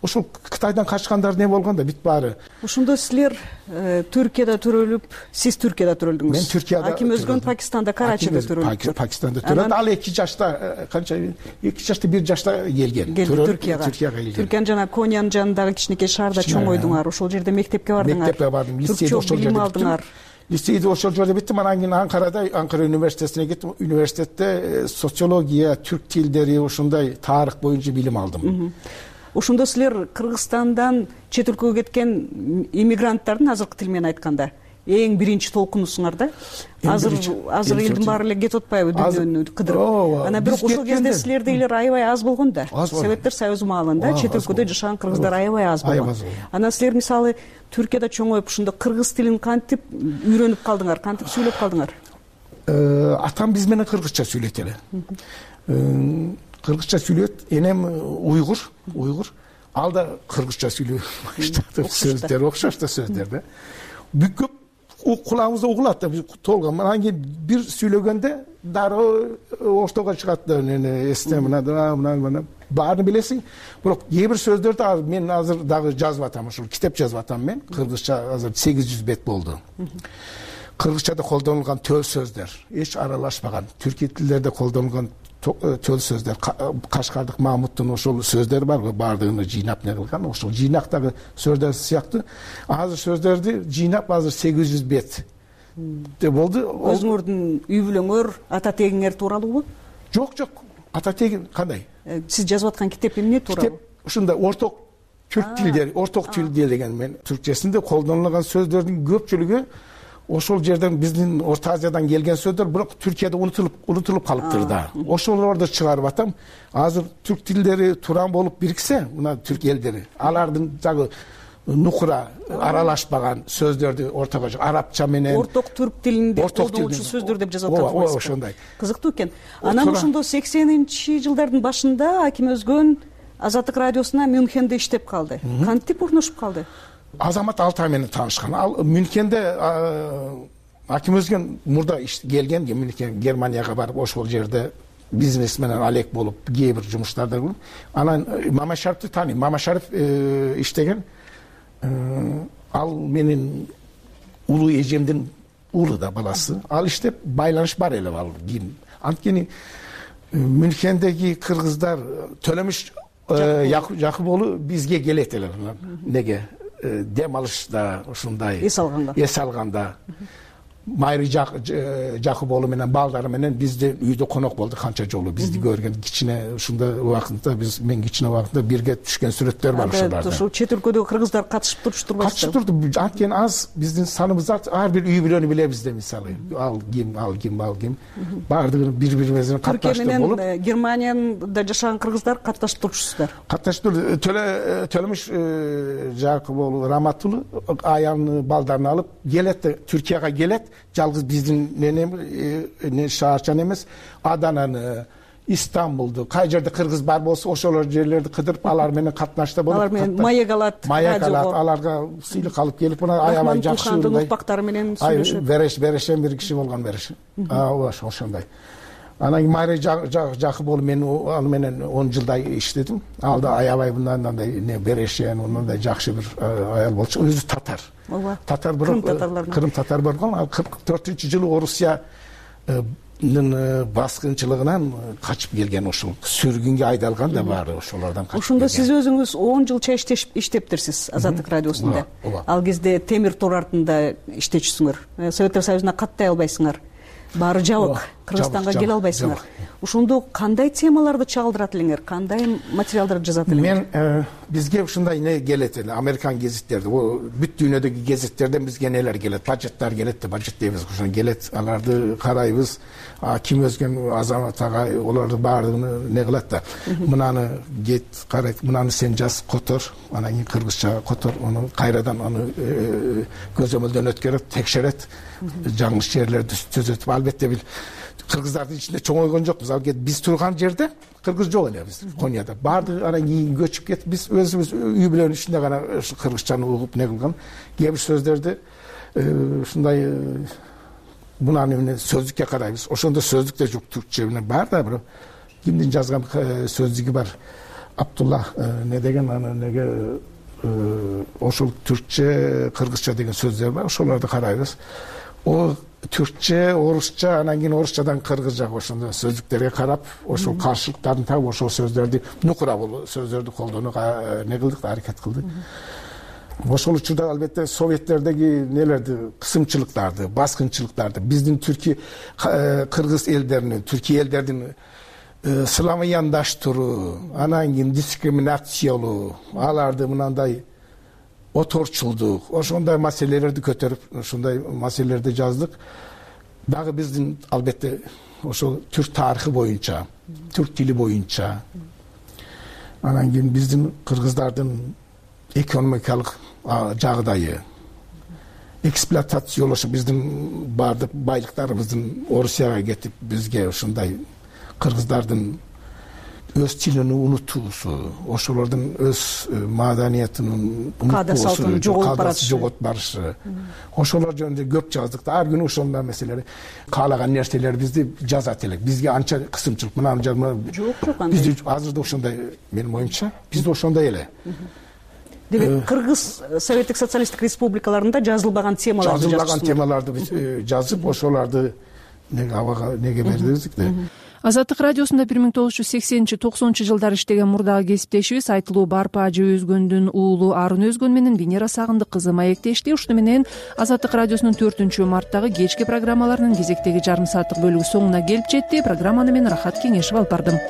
Ошол Кытайдан качкандар не болгон да, бүт баары. Ошондо силер Түркияда төрөлүп, сиз Түркияда төрөлдүңүз. Мен Түркияда. Аким Өзгөн Пакистанда, Карачида төрөлдү. Пакистанда төрөлдү. Ал эки жашта, канча эки жашта бир жашта келген. Түркияга. Түркияга келген. Түркиянын жана Кониянын жанындагы кичинекей шаарда чоңойдуңар, ошол жерде мектепке бардыңар. Мектепке бардым, лицейде ошол жерде алдыңар. Лицейде ошол жерде биттим, анан кийин Анкарада, Анкара университетине кеттим. Университетте социология, түрк тилдери, ошондой тарых боюнча билим алдым. Ошондо силер Кыргызстандан чет өлкөгө кеткен иммигранттардын азыркы тил менен айтканда эң биринчи толкунусуңар да. Азыр азыр элдин баары эле кетип атпайбы дүйнөнү кыдырып. Анан бирок ошол кезде силердегилер аябай аз болгон да. Советтер Союзу маалында чет өлкөдө жашаган кыргыздар аябай аз болгон. Анан силер мисалы Түркияда чоңоюп ушундо кыргыз тилин кантип үйрөнүп калдыңар, кантип сүйлөп калдыңар? Атам биз менен кыргызча сүйлөйт эле. Кыргызча сүйлөйт, энем уйгур, уйгур. Ал да кыргызча сүйлөй баштады. Сөздөр окшош да сөздөр да. Бүкөп кулагыбызда угулат да, биз толгон. Анан кийин бир сүйлөгөндө дароо оштого чыгат да, эсте мына мына мына баарын билесиң. Бирок кээ бир сөздөрдү мен азыр дагы жазып атам, ушул китеп жазып атам мен. Кыргызча азыр сегиз жүз бет болду. Кыргызчада колдонулган төл сөздөр эч аралашпаган, түркий тилдерде колдонулган төл сөздөр, Кашкардык Мамуттун ошол сөздөрү барбы, баардыгын жыйнап не кылган, ошол жыйнактагы сөздөр сыяктуу. Азыр сөздөрдү жыйнап азыр сегиз жүз бет болду. Өзүңөрдүн үй бүлөңөр, ата тегиңер тууралуубу? Жок, жок. Ата тегин кандай? Сиз жазып аткан китеп эмне тууралуу? Китеп ушундай орток түрк тилдери, орток тил деген мен түркчесинде колдонулган сөздөрдүн көпчүлүгү ошол жерден биздин Орто Азиядан келген сөздөр, бирок Түркияда унутулуп унутулуп калыптыр да. Ошолорду чыгарып атам. Азыр түрк тилдери туран болуп бириксе, мына түрк элдери, алардын дагы нукура аралашпаган сөздөрдү ортого арабча менен орток түрк тилинде колдонуучу сөздөр деп жазып атат. Ооба, ошондой. Кызыктуу экен. Анан ошондо сексенинчи жылдардын башында Аким Өзгөн Азаттык радиосуна Мюнхенде иштеп калды. Кантип урношуп калды? Азамат Алтай менен таанышкан. Ал Мюнхенде Аким Өзгөн мурда келген, Мюнхен Германияга барып ошол жерде бизнес менен алек болуп, кээ бир жумуштарда кылып, анан Мамашариповду тааныйм. Мамашарипов иштеген. Ал менин улуу эжемдин уулу да, баласы. Ал иштеп байланыш бар эле ал кийин. Анткени Мюнхендеги кыргыздар Төлөмүш Жакып бизге келет эле. Неге? Дем алышта ушундай эс алганда эс алганда Майры Жакып менен балдары менен бизде үйдө конок болду канча жолу. Бизди көргөн кичине ушундай убакытта биз мен кичине убакытта бирге түшкөн сүрөттөр бар ушуларда. Ошол чет өлкөдөгү кыргыздар катышып турчу Катышып турду. Анткени аз биздин саныбыз ар бир үй бүлөнү билебиз да, мисалы. Ал ким, ал ким, ал ким. Баардыгын бири-бири катташтырып болуп. Түркия менен Германияда жашаган кыргыздар катташып турчусуздар. Катташып Төлөмүш Жакып Раматулы аянын балдарын алып келет, Түркияга келет. Жалгыз биздин не шаарчан эмес, Адананы, Истамбулду, кай жерде кыргыз бар болсо ошолор жерлерди кыдырып, алар менен катнашта болуп, алар менен маек алат, маек алат, аларга сыйлык алып келип, мына аябай жакшы урпактары менен сүйлөшөт. Береш, берешен бир киши болгон береш. Ооба, ошондой. Анан Майры Жакып мен аны менен он жылдай иштедим. Ал да аябай мындай не берешен, мындай жакшы бир аял болчу. Өзү татар. Ооба. Татар бирок Крым татар болгон. Ал кырк төртүнчү жылы Орусиянын баскынчылыгынан качып келген, ошол сүргүнгө айдалган да баары ошолордон качып. Ошондо сиз өзүңүз он жылча иштептирсиз Азаттык радиосунда. Ал кезде темир тор артында иштечүсүңөр. Советтер Союзуна каттай албайсыңар. Баары жабык, Кыргызстанга келе албайсыңар. Ошондо кандай темаларды чагылдырат элеңер, кандай материалдарды жазат элеңер? Мен бизге ушундай не келет эле, Американ гезиттерди, бүт дүйнөдөгү гезиттерден бизге нелер келет, бажеттар келет да, бажет дейбиз, ошон келет. Аларды карайбыз. Ким Өзгөн Азамат агай олорду баардыгын не кылат да. Мынаны кет карайт, мынаны сен жаз, котор, анан кийин кыргызча котор, аны кайрадан аны көзөмөлдөн өткөрөт, текшерет, жаңылыш жерлерди түзөтүп. Албетте бил кыргыздардын ичинде чоңойгон жокпуз. Ал биз турган жерде кыргыз жок эле биз Конияда. Баардыгы анан кийин көчүп кетип, биз өзүбүз үй бүлөнүн ичинде гана кыргызчаны угуп не кылган. Кээ бир сөздөрдү ушундай мунаны менен сөздүккө карайбыз. Ошондо сөздүк да жок, түркчө менен бар да, бирок кимдин жазган сөздүгү бар. Абдулла не деген аны неге ошол түркчө, кыргызча деген сөздөр бар. Ошолорду карайбыз. О түркчө, орусча, анан кийин орусчадан кыргызчага ошондо сөздүктөргө карап, ошол каршылыктарын таап, ошол сөздөрдү нукура болуп сөздөрдү колдонууга не кылдык, аракет кылдык. Ошол учурда албетте советтердеги нелерди, кысымчылыктарды, баскынчылыктарды, биздин түрки кыргыз элдеринин, түрки элдердин сыламыяндаштыруу, анан кийин дискриминациялоо, аларды мынандай оторчулдук ошондой маселелерди көтөрүп ушундай маселелерди жаздык. Дагы биздин албетте ошол түрк тарыхы боюнча, түрк тили боюнча, анан кийин биздин кыргыздардын экономикалык жагдайы, эксплуатациялашып биздин баардык байлыктарыбыздын Орусияга кетип бизге ушундай кыргыздардын өз тилин унутуусу, ошолордун өз маданиятынын каада-салтын жоголуп барышы, жоготуп барышы. Ошолор жөнүндө көп жаздык да. Ар күнү ошондой маселелер, каалаган нерселерибизди жазат элек. Бизге анча кысымчылык мынаны жазма. Жок, жок андай. Бизде азыр да ошондой, менин оюмча, бизде ошондой эле. Демек, Кыргыз Советтик социалисттик республикаларында жазылбаган темаларды жазып, жазылбаган темаларды биз жазып, ошоларды неге абага неге бердик да. Азаттык радиосунда бир миң тогуз жүз сексенинчи токсонунчу жылдары иштеген мурдагы кесиптешибиз Айтылуу Барпа Ажы Өзгөндүн уулу Арын Өзгөн менен Венера Сагындык кызы маектешти. Ушуну менен Азаттык радиосунун төртүнчү марттагы кечки программаларынын кезектеги жарым сааттык бөлүгү соңуна келип жетти. Программаны мен Рахат Кеңешев алып бардым.